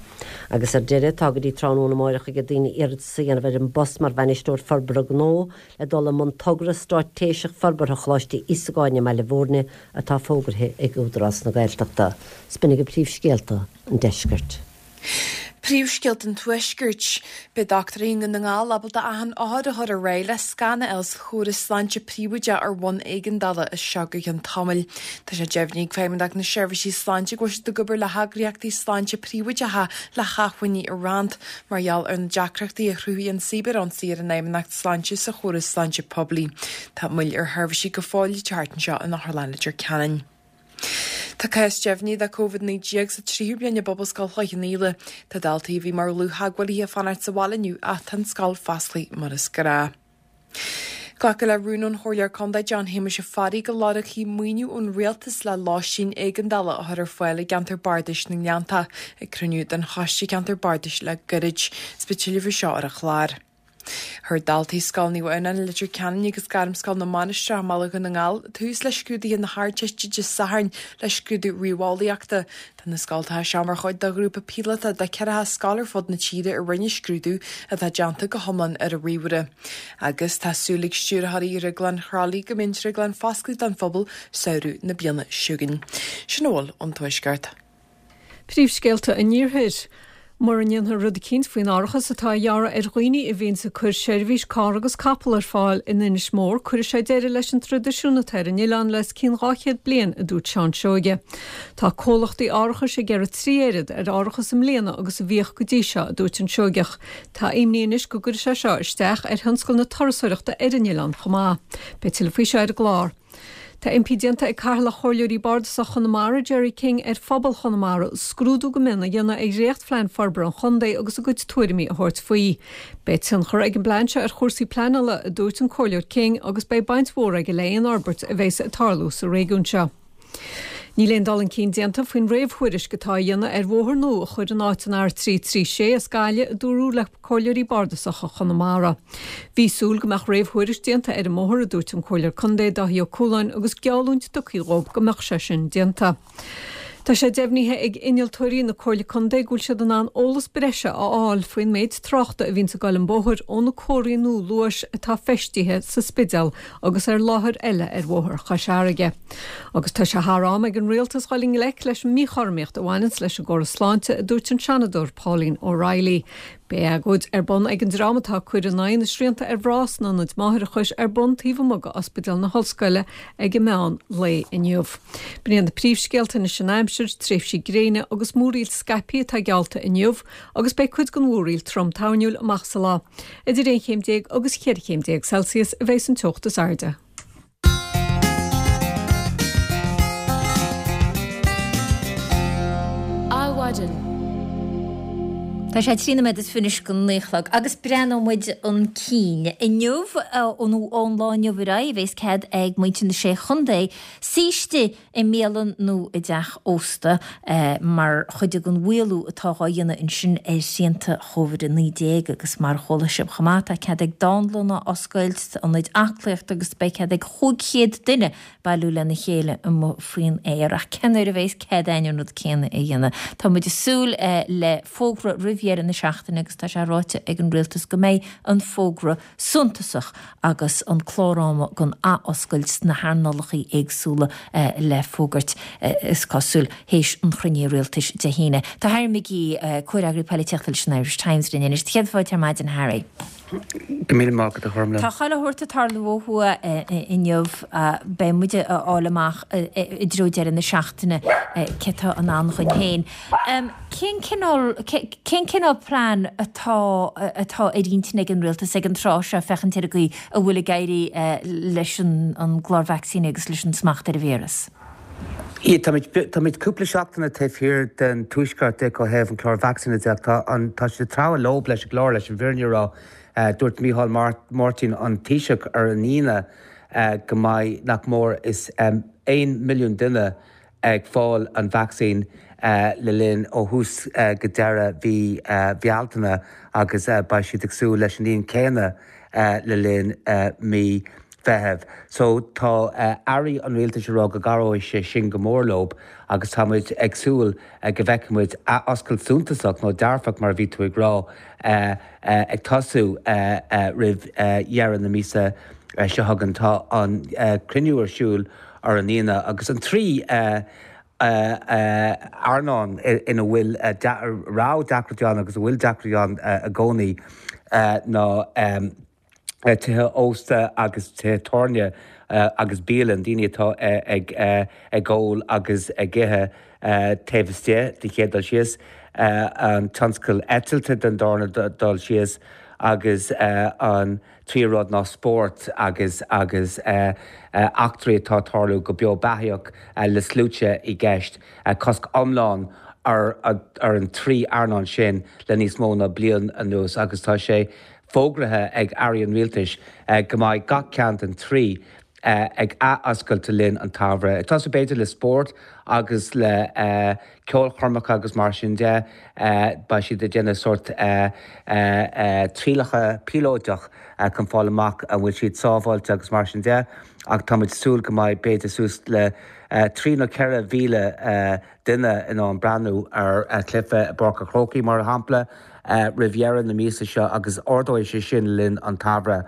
Agus ar deireadh, tá go dtí tráthnóna amáireach ag daoine iarratas a dhéanamh ar an bpost mar Bhainisteoir Forbartha Gnó le dul i mbun togra straitéiseach forbartha Choláiste Íosagáin i mBaile Bhúirne atá fógraithe ag Údarás na Gaeltachta. 'S b'in agaibh príomhscéalta an deiscirt. Príomhscéalta an Tuaiscirt. Beidh dochtúirí i nDún na nGall ábalta achan othar a chur ar aghaidh le scan a fháil sa chóras sláinte príobháideach ar bhonn éigeandála as seo go ceann tamaill. Tá sé deimhnithe ag Feidhmeannacht na Seirbhísí Sláinte go bhfuil siad ag obair le heagraíochtaí sláinte príobháideacha le hacmhainní a roinnt mar gheall ar na deacrachtaí a chruthaigh an cibear-ionsaí ar an Fheidhmeannacht Sláinte sa chóras sláinte poiblí. Tá moill ar sheirbhísí go fóill ag teacht anseo in Otharlann Leitir Ceanainn. Tá cás deimhnithe de Covid-19 sa tríú bliain i bPobalscoil Chloich Cheann Fhaola. Tá daltaí a bhí mar dhlúth-theagmhálaithe ag fanacht sa bhaile inniu ach tá an scoil fosclaithe mar is gnáth. Glacadh le rún ón Chomhairleoir Contae John Shéamuis Ó Fearraigh go lorgfaí maoiniú ón Rialtas le lóistín éigeandála a chur ar fáil i gceantar bardais na nGleanntach ag cruinniú den Choiste Ceantar Bardais le gairid. Is beidh tuilleadh faoi seo ar an chlár. Chuir daltaí Scoil Naomh Adhamhnáin i Leitir Ceanainn agus Gairmscoil na Mainistreach i mBaile Dhún na nGall tús le scrúduithe na hArdteiste Dé Sathairn le scrúdú ríomheolaíochta. Tá na scoltacha seo mar chuid de ghrúpa píolóta de 40 scoil ar fud na tíre a rinne scrúdú atá déanta go hiomlán ar an ríomhaire. Agus tá súil ag stiúrthóirí Dhrioglann Chroithlí go mbeidh an drioglann foscailte don phobal samhradh na bliana seo chugainn. Sin a bhfuil ón Tuaisceart. Príomhscéalta an Iarthair. Mura ndéanfar rud eicínt faoin árachas atá á ghearradh ar dhaoine a bhíonns ag cur seirbhís carr agus capall ar fáil in Inis Mór, cuirfidh sé deireadh leis an traidisiún atá ar an oileán le os cionn 200 bliain, a dúirt Seán Seoige. Tá comhlachtaí árachais ag gearradh 3 oiread ar árachas i mbliana agus a bhíodh go dtí seo, a dúirt an Seoigeach. Tá imní anois go gcuirfidh sé seo isteach ar thionscal na turasóireachta ar an oileán chomh maith. Beidh tuilleadh faoi seo ar an gclár. Tá impí déanta ag Cathaoirleach Chomhairleoirí Bardasacha Chonamara, Gerry King, ar phobal Chonamara scrúdú go mion a dhéanamh ar dhréachtphlean forbartha an chontae agus a gcuid tuairimí a thabhairt faoi. Beidh tionchar ag an bplean seo ar chúrsaí pleanála, a dúirt an Comhairleoir King, agus beidh baint mhór aige le aon fhorbairt a bheas ag tarlú sa réigiún seo. Níl aon dul chun cinn déanta faoin réamhthuairisc atá á dhéanamh ar bhóthar nua a chur in áit an R336 as Gaillimh, a dúradh le Comhairleoirí Bardasacha Chonamara. Bhí súil go mbeadh réamhthuairisc déanta ar an mbóthar, a dúirt an Comhairleoir Contae Dáithí Ó Cualáin agus geallúint tugtha dhóibh go mbeadh sé sin déanta. Tá sé deimhnithe ag innealtóirí na Comhairle Contae go bhfuil siad in ann eolas breise a fháil faoin méid tráchta a bhíonns ag dul an bóthar ó na comharthaí nua luais atá feistithe sa Spidéal agus ar láthair eile ar Bhóthar Chois Fharraige. Agus tá sé thar am ag an rialtas dhul i ngleic leis an míchothromaíocht a bhaineanns leis an gcóras sláinte, a dúirt an Seanadóir Pauline O'Reilly. Beidh agóid ar bun ag an dream atá ag cur in aghaidh na srianta ar mhná sna hionaid máithreachais ar bun taobh amuigh de Ospidéal na hOllscoile ag an meán lae inniu. B'in iad na príomhscéalta anois an aimsir, tréimhsí gréine agus múraíl scaipthe atá geallta inniu agus beidh cuid den mhúraíl trom toirniúil amach sa lá. Idir 11 chéim agus 14 chéim Celsius a bheas an teocht is airde. Adhmhaidin. Tá sé 13 nóiméad is fiche anois go 9 a chlog agus breathnóidh muid chun cinn. Inniu, nó ón lá inniu ar aghaidh, a bheas cead ag muintir na Sé Chontae suí istigh i mbialann nó i dteach ósta mar chuid den mhaolú atá dhá dhéanamh ansin ar shrianta Chóivid-19 agus mar a chuala sibh chomh maith tá cead ag dánlanna oscailt, ionaid aclaíochta agus beidh cead ag 500 duine bailiú lena chéile amuigh faoin aer. Ach cén uair a bheas cead againn an rud céanna a dhéanamh? Tá muid ag súil le fógra roimh dheireadh na seachtaine agus tá sé ráite ag an rialtas go mbeidh an fógra suntasach agus an clár ama don athoscailt sna hearnálacha éagsúla le fógairt, is cosúil, théis an chruinnithe rialtais Dé hAoine. Tá Harry McGee, comhfhreagraí polaitíochta leis an Irish Times linn anois. Céad fáilte ar maidin, a Harry. Go míle maith agat, a Ghormlaith. Tá chuile shórt ag tarlú ó thuaidh inniu. Beidh muid a fháil amach i dtreo deireadh na seachtaine cé tá i ndán dhuinn féin. Cén cineál, cén cineál plean atá, atá ar intinn ag an rialtas ag an tráth seo féachaint ar an gcaoi a bhfuil ag éirí leis an an gclár vacsaíní agus leis an smacht ar an víreas? Yeah, táimid, táimid cúpla seachtaine taobh thiar den tuaisceart de ó thaobh an clár vacsaíne de ach tá an, tá siad ag treabhadh leob leis an gclár leis an bhfírinne a rá. Dúirt Micheál Martin, an Taoiseach, ar an Aoine go mbeidh nach mór is 1 milliún duine ag fáil an vacsaín le linn ó thús go deireadh mhí Bhealtaine agus beidh siad ag súil leis an líon céanna le linn mí Mheithimh. So tá airí an rialtais ag rá go gcabhróidh sé sin go mór leob agus tá muid ag súil go bhfeicfidh muid athoscailt suntasach nó dearfach mar a bhí tú ag rá ag tosú roimh dheireadh na míosa seo chugainn. Tá an cruinniú ar siúl ar an Aoine agus an 3. Earnáil ina bhfuil, raibh deacrachtaí ann agus a bhfuil deacrachtaí ann i gcónaí ná tithe ósta agus tithe tábhairne agus bialann, daoine atá ag ól agus ag ithe taobh istigh den chéad dul síos, an tionscal eitilte den darna dul síos agus an tríú rud ná spórt agus agus eachtraí atá ag tarlú go beo beathaíoch le sluaite i gceist. Cosc iomlán ar ar an trí earnáil sin le níos mó ná bliain anuas agus tá sé fógraithe ag airí an rialtais go mbeidh gach ceann den trí ag ath-oscailt le linn an tsamhraidh. Ag tosú b'fhéidir le spórt agus le ceolchoirmeacha agus mar sin de, beidh siad ag déanamh sórt trialacha píolóideach chun fáil amach an bhfuil siad sábháilte agus mar sin de ach tá muid ag súil go mbeidh b'fhéidir suas le 3 nó 4,000 duine in ann breathnú ar chluiche i bPáirc an Chrócaigh mar shampla roimh dheireadh na míosa seo agus ardóidh sé sin le linn an tsamhraidh.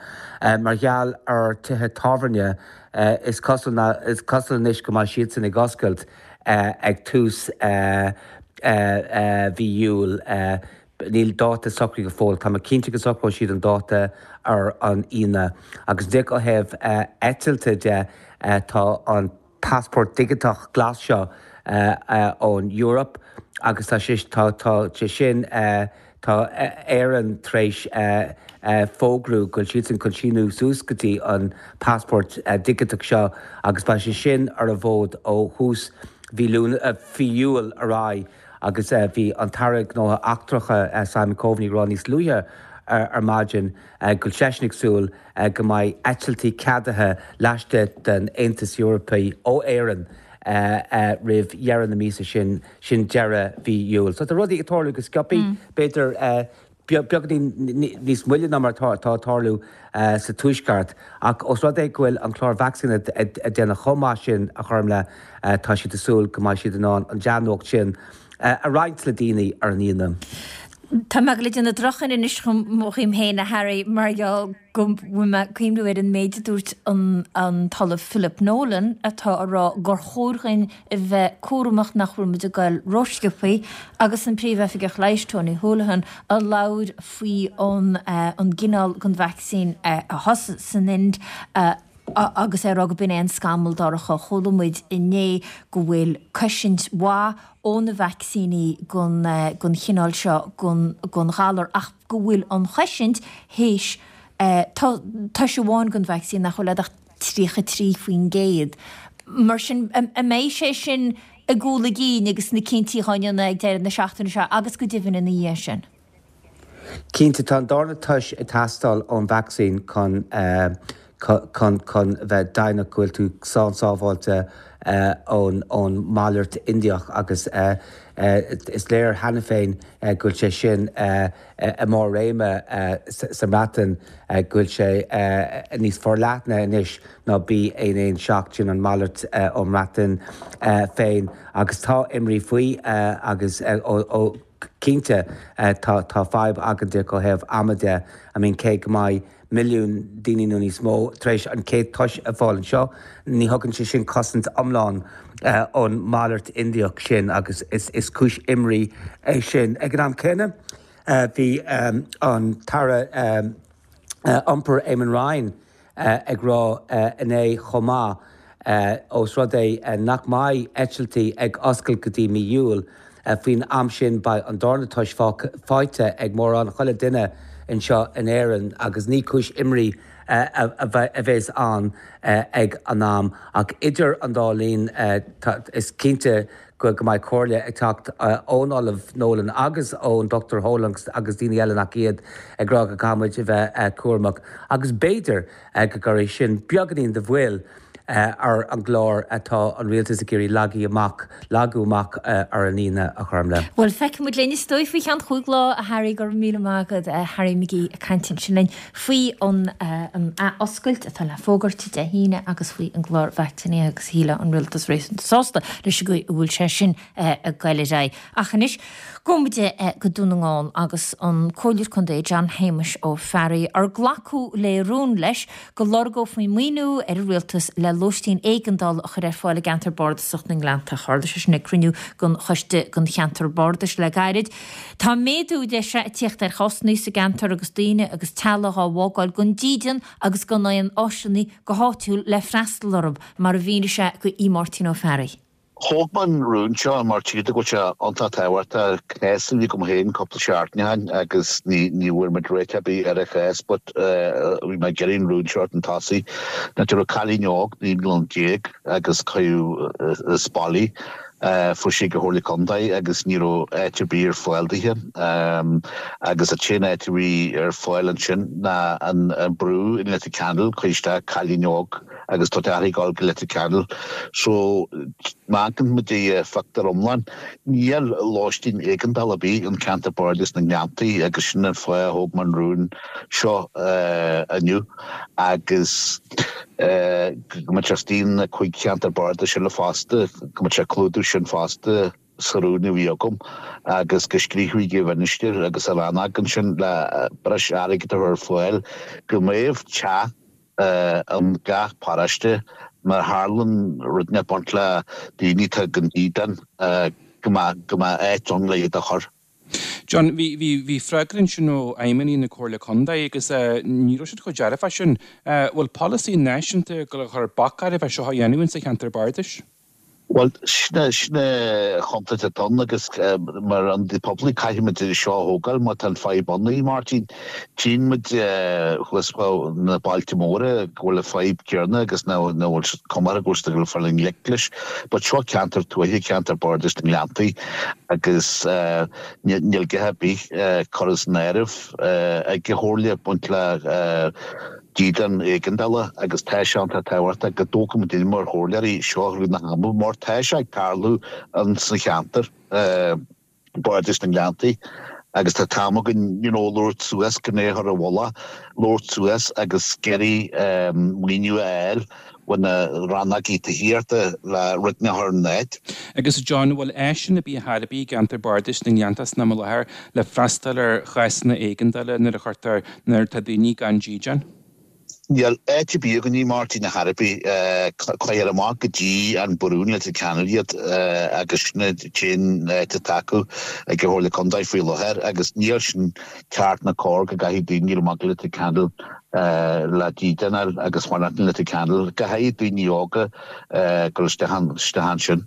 Mar gheall ar tithe tábhairne is cosúil is cosúil anois go mbeidh siadsan ag oscailt ag tús mhí Iúil. Níl dáta socraithe go fóill. Tá mé cinnte go socróidh siad an dáta ar an Aoine. Agus díreach ó thaobh eitilte de, tá an passport digiteach glas seo ón Eoraip agus tá sé tá tá sé sin tá Éirinn tar éis fógrú go bhfuil siadsan chun síniú suas go dtí an passport digiteach seo agus beidh sé sin ar an bhfód ó thús mhí mhí Iúil ar aghaidh agus bhí an tAire Gnóthaí Eachtracha Simon Coveney ag rá níos luaithe ar maidin go bhfuil seisean ag súil go mbeidh eitiltí ceadaithe laistigh den Aontas Eorpaí ó Éirinn roimh dheireadh na míosa sin, sin deireadh mhí Iúil. So tá rudaí ag tarlú go sciobthaí, b'fhéidir beagáinín níos moille ná mar atá ag tarlú sa Tuaisceart, ach os rud é go bhfuil an clár vacsaíne ag déanamh chomh maith sin, a Chormlaith, tá siad ag súil go mbeidh siad in ann an dea-nuacht sin a roinnt le daoine ar an Aoine. Tá mé ag gabháil a dhéanamh drochchaint anois dhíom féin, a Harry, mar gheall go bhfuil mé ag cuimhniú ar an méid a dúirt an tOllamh Philip Nolan atá a rá gur chóir dhuinn a bheith cúramach nach bhfuil muid ag goil rósciobthaí agus an Príomh-Oifigeach Leighis Tony Holohan a labhair faoi an gcineál den vacsaín a thosaigh san Ind agus é ag rá go b'in é an scamall dorcha. Chuala muid inné go bhfuil cosaint mhaith ó na vacsaíní gon chineál seo gon ghalar ach go bhfuil an chosaint théis toise amháin gon vacsaín nach bhfuil ach 33%. Mar sin, an mbeidh sé sin i gcúl a gcinn agus na cinntí dhá ndéanamh ag deireadh na seachtaine seo agus go deimhin ina dhiaidh sin? Cinnte, tá an darna toise ag teastáil ón vacsaín chun chun chun bheith deimhneach go bhfuil tú slán sábháilte ón ón malairt Indiach agus is léir cheana féin go bhfuil sé sin i mbarr réime sa mBreatain, go bhfuil sé níos forleithne anois ná B117, sin an malairt ón mBreatain féin agus tá imní faoi agus ó Cinnte, tá tá fadhb againn díreach ó thaobh ama de. I mean cé go mbeidh milliún daoine nó níos mó tar éis an chéad toise a fháil anseo, ní thugann sé sin cosaint iomlán ón malairt Indiach sin agus is is cúis imní é sin. Ag an am céanna, bhí an tAire Iompair Eamon Ryan ag rá inné chomh maith, ós rud é nach mbeidh eitiltí ag oscailt go dtí mí Iúil, faoin am sin beidh an darna toise faighte ag mórán chuile duine anseo in Éirinn agus ní cúis imní a bheas ann ag an am. Ach idir an dá linn, is cinnte go mbeidh comhairle ag teacht ón Ollamh Nolan agus ón Dr Holohan agus daoine eile nach iad ag rá go gcaithfidh muid a bheith cúramach agus b'fhéidir go gcuirfidh sin beagáinín de mhoill ar an gclár atá an rialtas ag iarraidh leagadh amach, leagadh amach ar an Aoine, a Chormlaith. Bhuel, feicfidh muid linn is dóigh faoi cheann chúig lá, a Harry, go raibh míle maith agat, Harry McGee ag caint ansin linn. faoi an athoscailt atá le fógairt Dé hAoine agus faoi an gclár vacsaínithe agus shílfeá an rialtas réasúnta sásta leis an gcaoi a bhfuil sé sin ag goil ar aghaidh. Ach anois, gabhfaidh muid go Dún na nGall agus an Comhairleoir Contae John Shéamuis Ó Fearraigh ar glacadh le rún leis go lorgófaí maoiniú ar an rialtas le. lóistín éigeandála a chur ar fáil i gceantar bardasach na nGleanntach. Tharla sé sin ag cruinniú den choiste den cheantar bardais le gairid. Tá méadú, deir sé, ag tíocht ar chásanna sa gceantar agus daoine agus teaghlaigh á bhfágáil gan dídean agus gan aon áiseanna go háitiúil le freastal orthu, mar a mhínigh sé go Máirtín Ó Fearraigh. Thóg mé an rún seo mar tchíonn tú go bhfuil sé iontach tábhachtach. Cás a bhí agam féin cúpla seachtain ó shin agus ní ní bhfuair muid réiteach ar bith ar an chás but bhí mé ag iarraidh an rún seo chun tosaigh. Now go raibh cailín óg 19 mbliana agus cuireadh as baile í. Fuair sí ag an Chomhairle Contae agus ní raibh áit ar bith ar fáil dithe agus an t-aon áit a bhí ar fáil ansin ná an brú in Leitir Ceanainn, cuireadh isteach cailín óg. agus tá deartha ag dul go Leitir Ceanainn so má amharcann muid ar phictiúr iomlán níl lóistín éigeandála ar bith an ceantar bardais na nGleanntaí agus sin an fáth a thóg mé an rún seo inniu agus go mbeadh sé istigh na 5 cheantar bardais eile fosta go mbeadh sé ag clúdú sin fosta sa rún a bhí agam agus go scríobfaí chuig an Mhinistir agus an rannóg ansin le breis airgid a chur ar fáil go mbeadh teach in gach paróiste má tharlaíonn rud ag baint le daoine atá gan dídean go mbeadh go mbeadh áit ann le iad a chur. John, bhí bhí bhí freagra ansin ó fheidhmeannaigh na Comhairle Contae agus ní raibh siad chomh dearfach sin. Bhfuil polasaí náisiúnta ag dul a chur bac ar a bheith seo á dhéanamh insa cheantar bardais? Bhuel, sin é, sin é an chontúirt atá ann agus mar ionadaí poiblí caithfimid é seo a thógáil má tá an fadhb ann, a Mháirtín. Tchíonn muid thuas na bailte móra go bhfuil an fadhb céanna agus nach bhfuil cuma orthu go bhfuil siad ag dul i ngleic leis. But seo ceantar tuaithe, ceantar bardais na nGleanntaí agus níl a dhath ar bith curtha san áireamh ag an Chomhairle ag baint le dídean éigeandála agus tá sé iontach tábhachtach go dtógfaidh muid mar chomhairleoirí seo rún na hama mar tá sé ag tarlú ins an cheantar Bardais na nGleanntaí agus tá t-am againn you know labhairt suas gan é a chur i bhfolach, labhairt suas agus iarraidh maoiniú a fháil ó na rannógaí tithíochta le rud a chur in áit. Agus a John, bhfuil áiseanna ar bith ar bith i gceantar Bardais na nGleanntach san am i láthair le freastal ar chásanna éigeandála nuair a chuirtear, nuair atá daoine gan dídean? Níl áit ar bith againn, a Mháirtín, ar chor ar bith. Cuirtear amach go dtí an brú in Leitir Ceanainn iad agus sin an t-aon áit atá acu ag an Chomhairle Contae faoi láthair agus níl sin ceart ná cóir go gcaithfidh daoine dul amach go Leitir Ceanainn le dídean a fháil agus fanacht in Leitir Ceanainn, go háirithe daoine óga dul isteach ansin.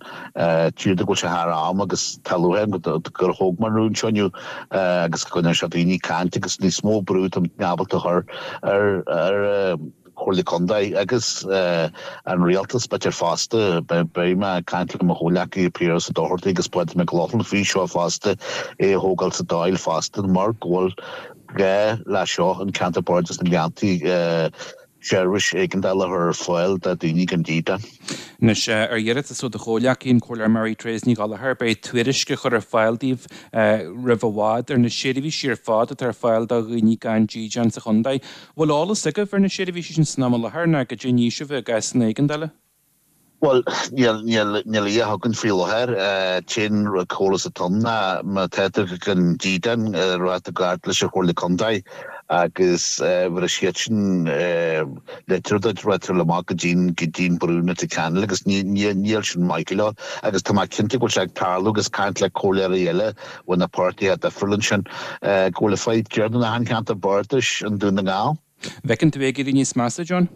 Tchíonn tú go bhfuil sé thar am agus tá lúcháir orm gur thóg mé an rún seo inniu agus go ndearna sé daoine caint agus níos mó brú tá muid ábalta a chur ar an Chomhairle Contae agus an Rialtas b'fhéidir fosta. Beidh mé ag caint le mo chomhghleacaithe Piaras Ó Dochartaigh agus Pádraig Mac Lochlainn faoi seo fosta, é a thógáil sa Dáil fosta mar go bhfuil gá le seo an ceantar Bardais na nGleanntaí seirbhís éigeandála a chur ar fáil do daoine gan dídean. Anois, ar iarratas ó do chomhghleacaí, an Comhairleoir Mary Therese Ní Ghallchóir, beidh tuairisc á chur ar fáil daoibh roimh i bhfad ar na seirbhísí ar fad atá ar fáil do dhaoine gan dídean sa chontae. Bhfuil eolas agaibh ar na seirbhísí sin san am i láthair nó goidé a ní sibh i gcásanna éigeandála? Bhuel, níl, níl, níl a fhios againn faoi láthair. T-aon eolas atá ann ná má tá tú gan dídean, rachaidh tú gar leis an Chomhairle Contae agus bhéarfaidh siadsan litir duit, rachaidh tú amach go dtí'n, go dtí'n brú in Leitir Ceanainn agus ní, ní, níl sin maith go leor. Agus tá mé cinnte go bhfuil sé ag tarlú agus caint le comhairleoirí eile ó na páirtithe difriúla ansin, go bhfuil an fadhb céanna in achan cheantar bardais i nDún na nGall. Bhfeiceann tú é ag éirí níos measa, John?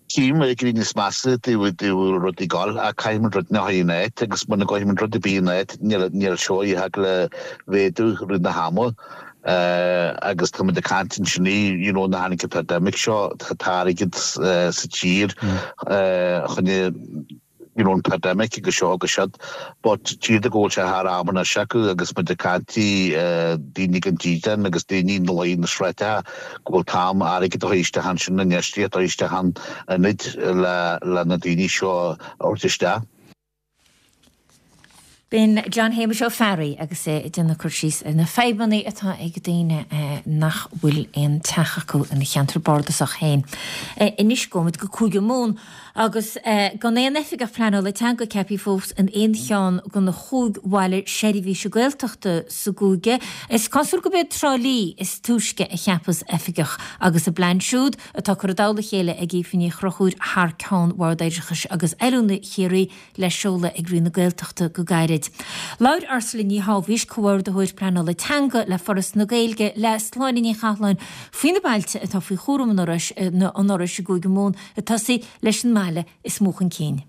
Tchím é ag éirí níos measa taobh a bhfuil rudaí ag gabháil ach caithfimid rud a chur in áit agus muna gcuirfimid rud ar bith in áit níl seo ag gabháil a mhéadú rith na hama agus táimid ag caint ansin you know nuair a tháinig an pandemic seo tá airgead sa tír chun you know an pandemic agus seo agus siúd but tchíonn tú go bhfuil sé thar am anois acu agus muid ag caint daoine gan dídean agus daoine ina luí na sráideacha go bhfuil t-am airgead a chur isteach ansin infheistíocht a chur isteach in ionaid le le na daoine seo a thabhairt isteach. B'in John Shéamuis Ó Fearraigh agus é ag déanamh cur síos ar na fadhbanna atá ag daoine nach bhfuil aon teach acu ina cheantar bardasach féin. Anois gabhfaimid go Cúige Mumhan agus gan aon oifigeach pleanála teanga ceaptha fós in aon cheann de na chúig bhaile seirbhíse Gaeltachta sa gcúige, is cosúil gurb iad Trá Lí is túisce a cheapfas oifigeach agus a bplean siúd atá curtha i dtoll a chéile ag Aoife Ní Chonchúir thar ceann Bhord Oideachais agus Oiliúna Chiarraí le seoladh ag Roinn na Gaeltachta go gairid. Labhair Ursula Ní Shábhaois, Comhordaitheoir Pleanála Teanga le Foras na Gaeilge, le Sláine Ní Chathalláin faoi na bailte atá faoi chúram an Fhorais an Fhorais i gCúige Mumhan ag tosaí leis an mbaile is mó chun cinn.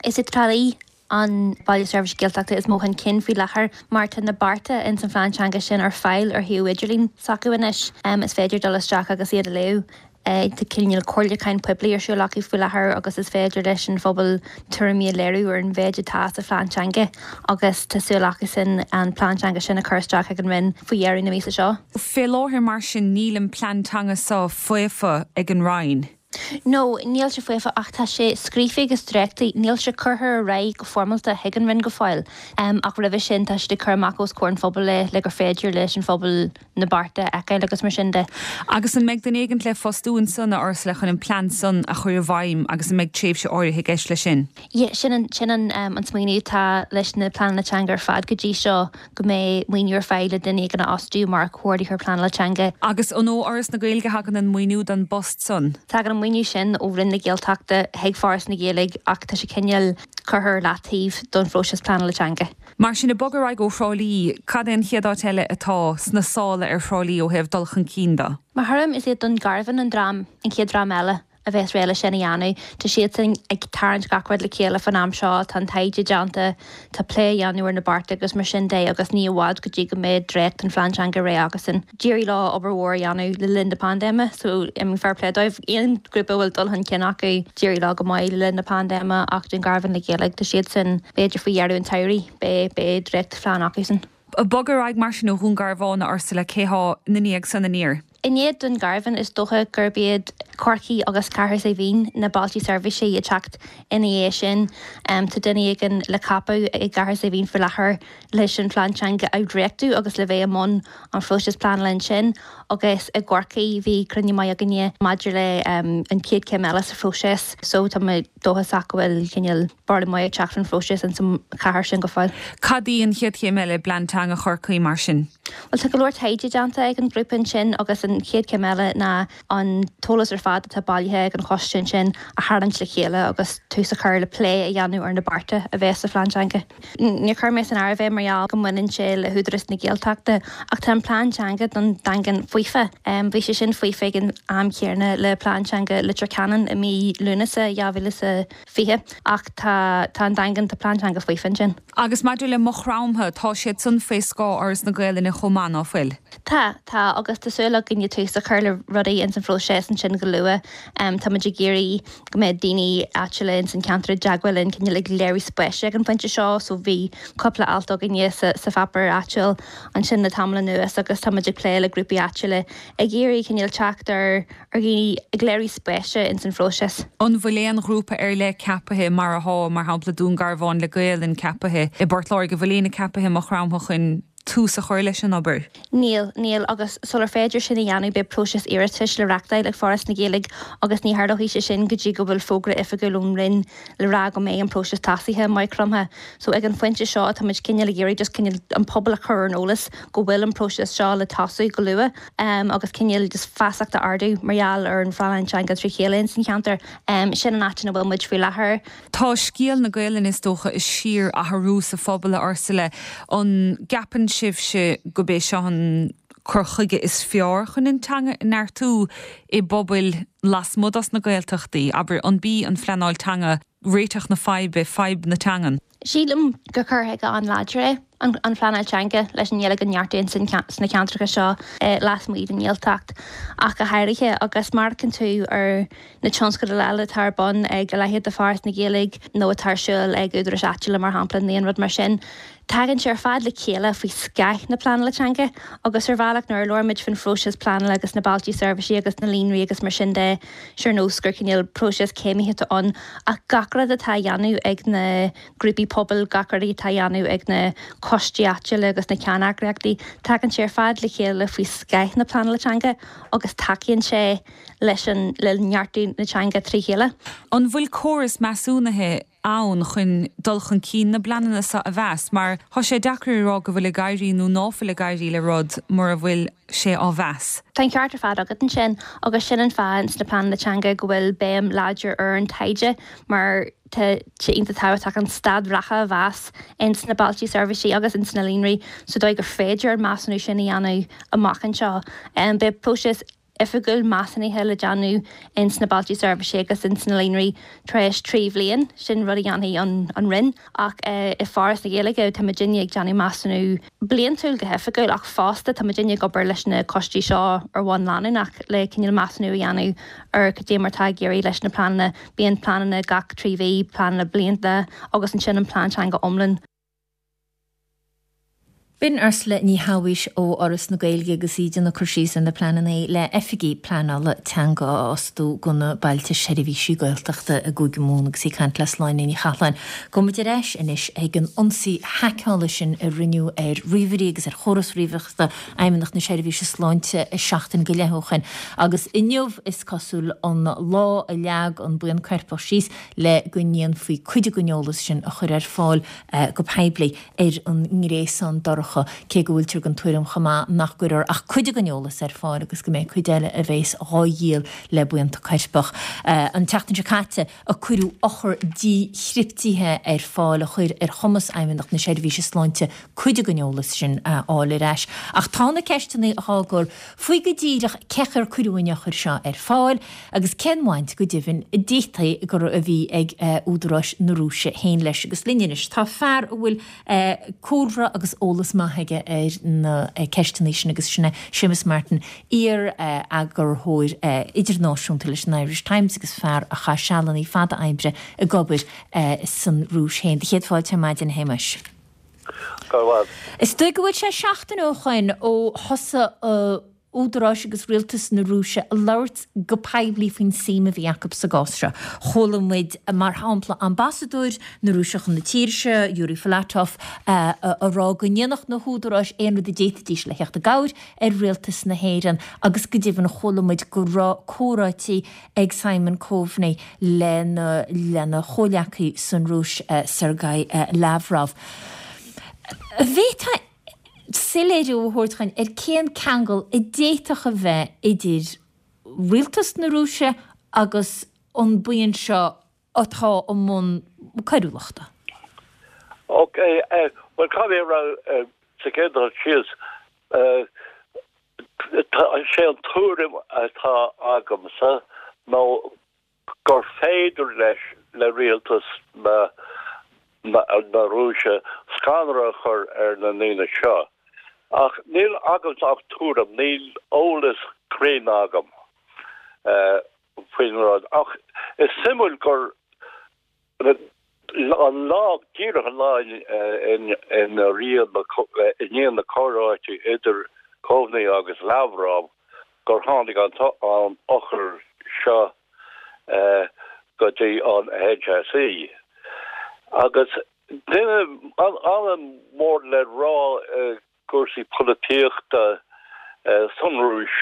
Is é Trá Lí an Baile Seirbhíse Gaeltachta is mó chun cinn faoi láthair mar tá na bearta ins an phlean teanga sin ar fáil ar shuíomh idirlín s'acu anois. Is féidir dul isteach agus iad a léamh. Tá cineál comhairliúchán poiblí ar siúl acu faoi láthair agus is féidir leis an phobal tuairimí a léiriú ar an mhéid atá sa phlean teanga agus tá súil acusan an plean teanga sin a chur isteach ag an Roinn faoi dheireadh na míosa seo. Fé láthair mar sin níl an plean teanga seo faofa ag an Roinn. No, níl sé faofa ach tá sé scríofa agus dréachtaithe. Níl sé curtha ar aghaidh go foirmeálta chuig an Roinn go fóill ach roimhe sin tá siad ag cur amach os comhair an phobail é le gur féidir leis an phobal na bearta a fheiceáil agus mar sin de. Agus an mbeidh duine éigint le fostú ansan, a Ursula, chun an plean san a chur i bhfeidhm agus an mbeidh tréimhse áirithe i gceist leis sin? Yeah, sin an, sin an, an smaoineamh atá leis na pleananna teanga ar fad go dtí seo, go mbeidh maoiniú ar fáil le duine éigin a fhostú mar chomhordaitheoir pleanála teanga. Agus an ó Fhoras na Gaeilge a thagann an maoiniú don bpost san? Tagann an maoiniú sin ó Roinn na Gaeltachta chuig Foras na Gaeilge ach tá sé cineál curtha ar leataobh don phróiseas pleanála teanga. Mar sin, ag bogadh ar aghaidh ó Thrá Lí, cad é an chéad áit eile atá sna sála ar Thrá Lí ó thaobh dul chun cinn de? Mo thuairim, is iad Dún Garbhán an dream, an chéad dream eile a bheas réidh leis sin a dhéanamh. Tá siadsan ag tarraingt gach rud le chéile fán am seo, tá an taighde déanta, tá plé á dhéanamh ar na bearta agus mar sin de agus ní i bhfad go dtí go mbeidh dréacht an phlean teanga réidh acusan. D'éirigh leo obair mhór a dhéanamh le linn na paindéime so I mean fair play dóibh. Aon ghrúpa a bhfuil dul chun cinn acu, d'éirigh leo go maith le linn na paindéime ach Dún Garbhán le Gaeilge, tá siadsan b'fhéidir faoi dheireadh an tsamhraidh, beidh, beidh dréachtphlean acusan. Ag bogadh ar aghaidh mar sin ó Dhún Garbhán, a Ursula, cé há ina ndiaidh san aniar? I ndiaidh Dún Garbhán is dócha gurb iad Corcaigh agus Cathair Saidhbhín na bailte seirbhíse ag teacht ina dhiaidh sin. Tá duine éigin le ceapadh i gCathair Saidhbhín faoi láthair leis an phlean teanga a dhréachtú agus le bheith i mbun an phróisis pleanála ansin agus i gCorcaigh bhí cruinniú maith againne maidir le an chéad chéim eile sa phróiseas so tá mé dóchasach go bhfuil cineál borradh maith ag teacht faoin phróiseas ins an chathair sin go fóill. Cad í an chéad chéim eile i bplean teanga Chorcaí mar sin? Bhuel tá go leor taighde déanta ag an ghrúpa ansin agus an chéad chéim eile ná an t-eolas ar fad atá bailithe ag an choiste ansin a tharraingt le chéile agus tús a chur le plé a dhéanamh ar na bearta a bheas sa phlean teanga. Níor chuir mé san áireamh é mar gheall go mbaineann sé le hÚdarás na Gaeltachta ach tá an plean teanga don Daingean faofa. Bhí sé sin faofa ag an am céanna le plean teanga Leitir Ceanainn i mí Lúnasa 2020 ach tá tá an Daingean, tá plean teanga faofa ansin. Agus maidir le Maigh Chromtha, tá siad san faoi scáth Fhoras na Gaelainne chomh maith, ná fuil? Tá, tá, agus tá súil againne tús a chur le rudaí ins an phróiseas ansin go luath. Tá muid ag iarraidh go mbeadh daoine áitiúla ins an cheantar i dteagmháil linn, cineál ag léiriú spéise ag an phointe seo, so bhí cúpla alt againne sa sa pháipéar áitiúil ansin le tamall anuas agus tá muid ag plé le grúpaí áitiúla ag iarraidh cineál teacht ar ar dhaoine ag léiriú spéise ins an phróiseas. An bhfuil aon ghrúpa ar leith ceapaithe mar athá, mar shampla Dún Garbhán le Gaelainn ceapaithe i bPort Láirge, an bhfuil éinne ceapaithe i Maigh Chromtha chun tús a chur leis an obair? Níl, níl, agus sular féidir sin a dhéanamh beidh próiseas iarratais le reachtáil ag Foras na Gaeilge agus ní tharlóidh sé sin go dtí go bhfuil fógra oifigiúil ón Roinn le rá go mbeidh an próiseas tosaithe i Maigh Chromtha. So ag an phointe seo tá muid cineál ag iarraidh just cineál an pobal a chur ar an eolas go bhfuil an próiseas seo le tosú go luath agus cineál just feasacht a ardú mar gheall ar an phleanáil teanga trí chéile ins an cheantar. Sin an áit ina bhfuil muid faoi láthair. Tá scéal na Gaelainne is dócha ag síor-athrú sa phobal, a Ursula. An gceapann sibhse gurb é seo an cur chuige is fearr chun an teanga a neartú i bpobail lasmuigh dos na Gaeltachtaí? Abair, an b'í an phleanáil teanga réiteach na faidhbe, fadhb na teangan? Sílim gur cur chuige an-láidir é an phleanáil teanga leis an nGaeilge a neartú sna ceantracha seo lasmuigh den nGaeltacht ach go háirithe agus má amharcann tú ar na tionscadail eile atá ar bun ag a leithéid de Foras na Gaeilge nó atá ar siúl ag údaráis áitiúla mar shampla nó aon rud mar sin. Tagann sé ar fad le chéile faoi scáth na pleanála teanga agus ar bhealach nuair a labhraíonn muid faoin phróiseas pleanála agus na bailte seirbhísí agus na líonraí agus mar sin de, sé ar nós gur cineál próiseas céimithe atá ann ach gach rud atá á dhéanamh ag na grúpaí pobail, gach rud atá á dhéanamh ag na coistí áitiúla agus na ceanneagraíochtaí, tagann sé ar fad le chéile faoi scáth na pleanála teanga agus tacaíonn sé leis an, le neartú na teanga trí chéile. An bhfuil córas measúnaithe ann chun dul chun cinn na bpleananna seo a mheas, mar tá sé deacair a rá go bhfuil ag éirí nó ná fuil ag éirí le rud mura bhfuil sé á mheas. Tá an ceart ar fad agat ansin agus sin an fáth ins na pleananna teanga go bhfuil béim láidir ar an taighde mar tá sé iontach tábhachtach an staid reatha a mheas ins na bailte seirbhísí agus ins na líonraí sa dóigh gur féidir an measúnú sin a dhéanamh amach anseo. Beidh próiseas oifigiúil measúnaithe le déanamh ins na bailte seirbhísí agus ins na líonraí tar éis 3 bhliain, sin rud a dhéanfaidh an Roinn. Ach i Foras na Gaeilge tá muidinne ag déanamh measúnú bliantúil go hoifigiúil ach fosta tá muidinne ag obair leis na coistí seo ar bhonn leanúnach le cineál measúnú a dhéanamh ar cad é mar atá ag éirí leis na pleananna. Bíonn pleananna gach 3 mhí, pleananna blianta agus ansin an plean teanga iomlán. B'in Ursula Ní Shabhaois ó Fhoras na Gaeilge agus í ag déanamh cur síos ar na pleananna le oifigigh pleanála teanga a fhostú do na bailte seirbhísí Gaeltachta i gCúige Mumhan agus í ag caint le Sláine Ní Chathalláin. Gabhfaidh muid ar ais anois ag an ionsaí haiceála sin a rinneadh ar ríomhairí agus ar chóras ríomhaireachta Fheidhmeannacht na Seirbhíse Sláinte seachtain go leith ó shoin agus inniu is cosúil an lá a leag an buíon coirpeach síos le go ndéanfaí cuid den eolas sin a chur ar fáil go poiblí ar an ngréasán dorcha, cé go bhfuiltear den tuairim chomh maith nach gcuirfear ach cuid den eolas ar fáil agus go mbeidh cuid eile a bheas dhá dhíol le buíonta coirpeach. An tseachtain seo caite a cuireadh eochair díchriptithe ar fáil a chuir ar chumas Fheidhmeannacht na Seirbhíse Sláinte cuid den eolas sin a fháil ar ais. Ach tá na ceisteanna dhá gcur faoi go díreach cén chaoi ar cuireadh an eochair seo ar fáil agus cén bhaint go deimhin a d'fhéadfaí gur a bhí ag údaráis na Rúise féin leis. Agus linn anois tá fear a bhfuil cúlra agus eolas maith aige ar na ceisteanna sin agus sin é Séamus Martin, iar-eagarthóir idirnáisiúnta leis an Irish Times agus fear a chaith sealanna fada oibre ag obair san Rúis féin. Do chéad fáilte ar maidin, a Shéamais. Go raibh. Is dóigh go bhfuil sé seachtain ó shoin ó thosaigh údaráis agus rialtas na Rúise a labhairt go poiblí faoin suim a bhí acu sa gcás seo. Chuala muid, mar shampla, ambasadóir na Rúise chun na tíre seo, Yuri Filatov, a rá go ndéanfadh na húdaráis aon rud a d'fhéadfaidís le theacht i gcabhair ar rialtas na hÉireann agus go deimhin chuala muid go raibh comhráití ag Simon Coveney lena lena chomhleacaí san Rúis, Sergei Lavrov. An bhféadfá soiléiriú a thabhairt dhuinn ar cén ceangal a d'fhéadfadh a bheith idir rialtas na Rúise agus an buíon seo atá i mbun coiriúlachta? Ok, bhuel caithfidh mé a rá sa chéad dul síos, Sé an tuairim atá agamsa ná gur féidir leis, le rialtas na na Rúise scanradh a chur ar na ndaoine seo. Ach níl agamsa ach tuairim, níl eolas cruinn agam faoin rud. Ach is suimiúil gur An lá, díreach an lá ina i ndiaidh na comhráite idir Coveney agus Lavrov gur tháinig an eochair seo go dtí an HSE. Agus duine an-mhór le rá i gcúrsaí polaitíochta san Rúis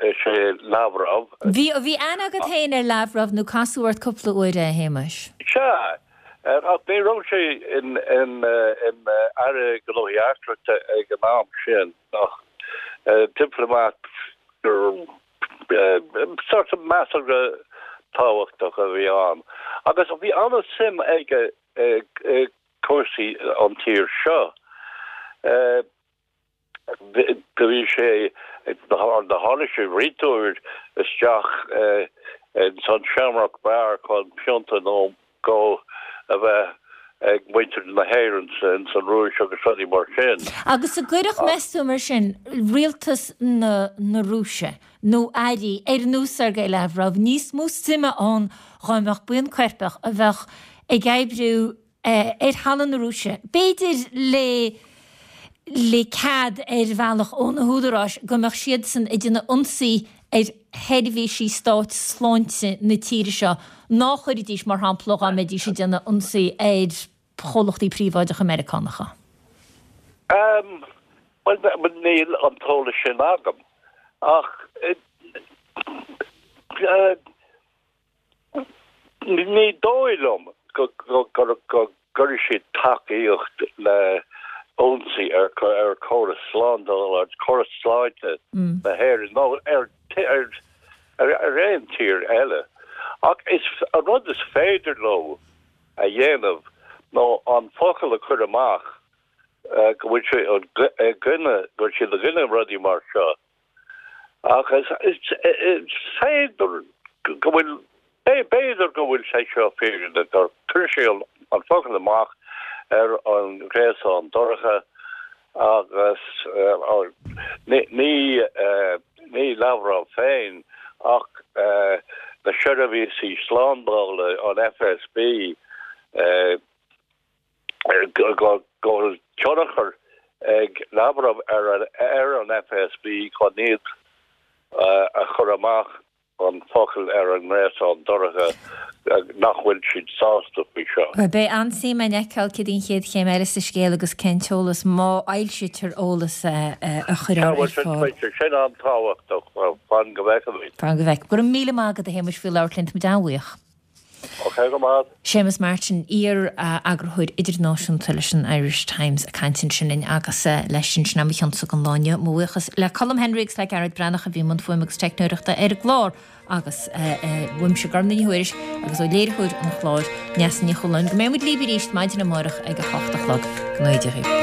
is ea Lavrov. Bhí, bhí aithne agat féin ar Lavrov nó casadh ort cúpla uair é, a Shéamais? Sea, ach ní raibh sé ina Aire Gnóthaí Eachtracha ag an am sin, ach diplomat sort of measartha tábhachtach a bhí ann. Agus bhí an-suim aige i cúrsaí an tír seo. Do bhí sé, do tháinig sé roinnt uair isteach ins an Shamrock Bar chun pionta nó dhó a bheith ag muintir na hÉireann ins an Rúis agus rudaí mar sin. Agus an gcuirfeadh, meas tú, mar sin, rialtas na na Rúise nó airí ar nós Sergei Lavrov níos mó suime ann dhá mbeadh buíon coirpeach a bheadh ag oibriú. Ar thalamh na Rúise, b'fhéidir le le cead ar bhealach ó na húdaráis go mbeadh siadsan ag déanamh ionsaí ar sheirbhísí stáit sláinte na tíre seo, ná chuirfidís, mar shampla, dá mbeidís ag déanamh ionsaí ar chomhlachtaí príobháideacha Meiriceánacha? Bhuel, níl an t-eolas sin agam, ach Ní dóigh liom go gcuirfidh siad tacaíocht le ionsaí ar chóras slándála, córas sláinte na hÉireann nó ar aon tír eile. Ach is an rud is féidir leo a dhéanamh ná an focal a chur amach go bhfuil sé i gcoinne, go bhfuil siad i gcoinne rudaí mar seo. Ach is féidir go bhfuil, b'fhéidir go bhfuil sé seo fírinneach, gur chuir sé an focal amach ar an ghréasán dorcha agus ní ní Lavrov féin ach na seirbhísí slándála, an FSB, go bhfuil tionchar ag Lavrov ar an FSB chun iad a chur amach an focal ar an ngréasán dorcha nach bhfuil siad sásta faoi seo. Beidh an-suim againn fheiceáil céard í an chéad chéim eile sa scéal agus cén t-eolas, má fhoilsítear eolas, a chuirfear ar fáil. Beidh sé sin an-tábhachtach. Fan go bhfeicfimid. Fan go bhfeicfimid. Go raibh míle maith agat a Shéamuis faoi labhairt linn, táimid an-bhuíoch. Ok, go maith. Séamus Martin, iar-eagarthóir idirnáisiúnta leis an Irish Times ag caint ansin linn agus leis sin, sin é mo chionsa don lá inniu. Mo bhuíochas le Colm Henry agus le Gearóid Breathnach a bhí i mbun fuaime agus teicneoireachta ar an gclár agus uaimse Gormfhlaith Ní Thuairisg agus ó léiritheoir an chláir, Neasa Ní Chualáin. Go mbeidh muid libh arís maidin amárach ag a hocht a chlog. Go ngnóthaí Dia dhaoibh.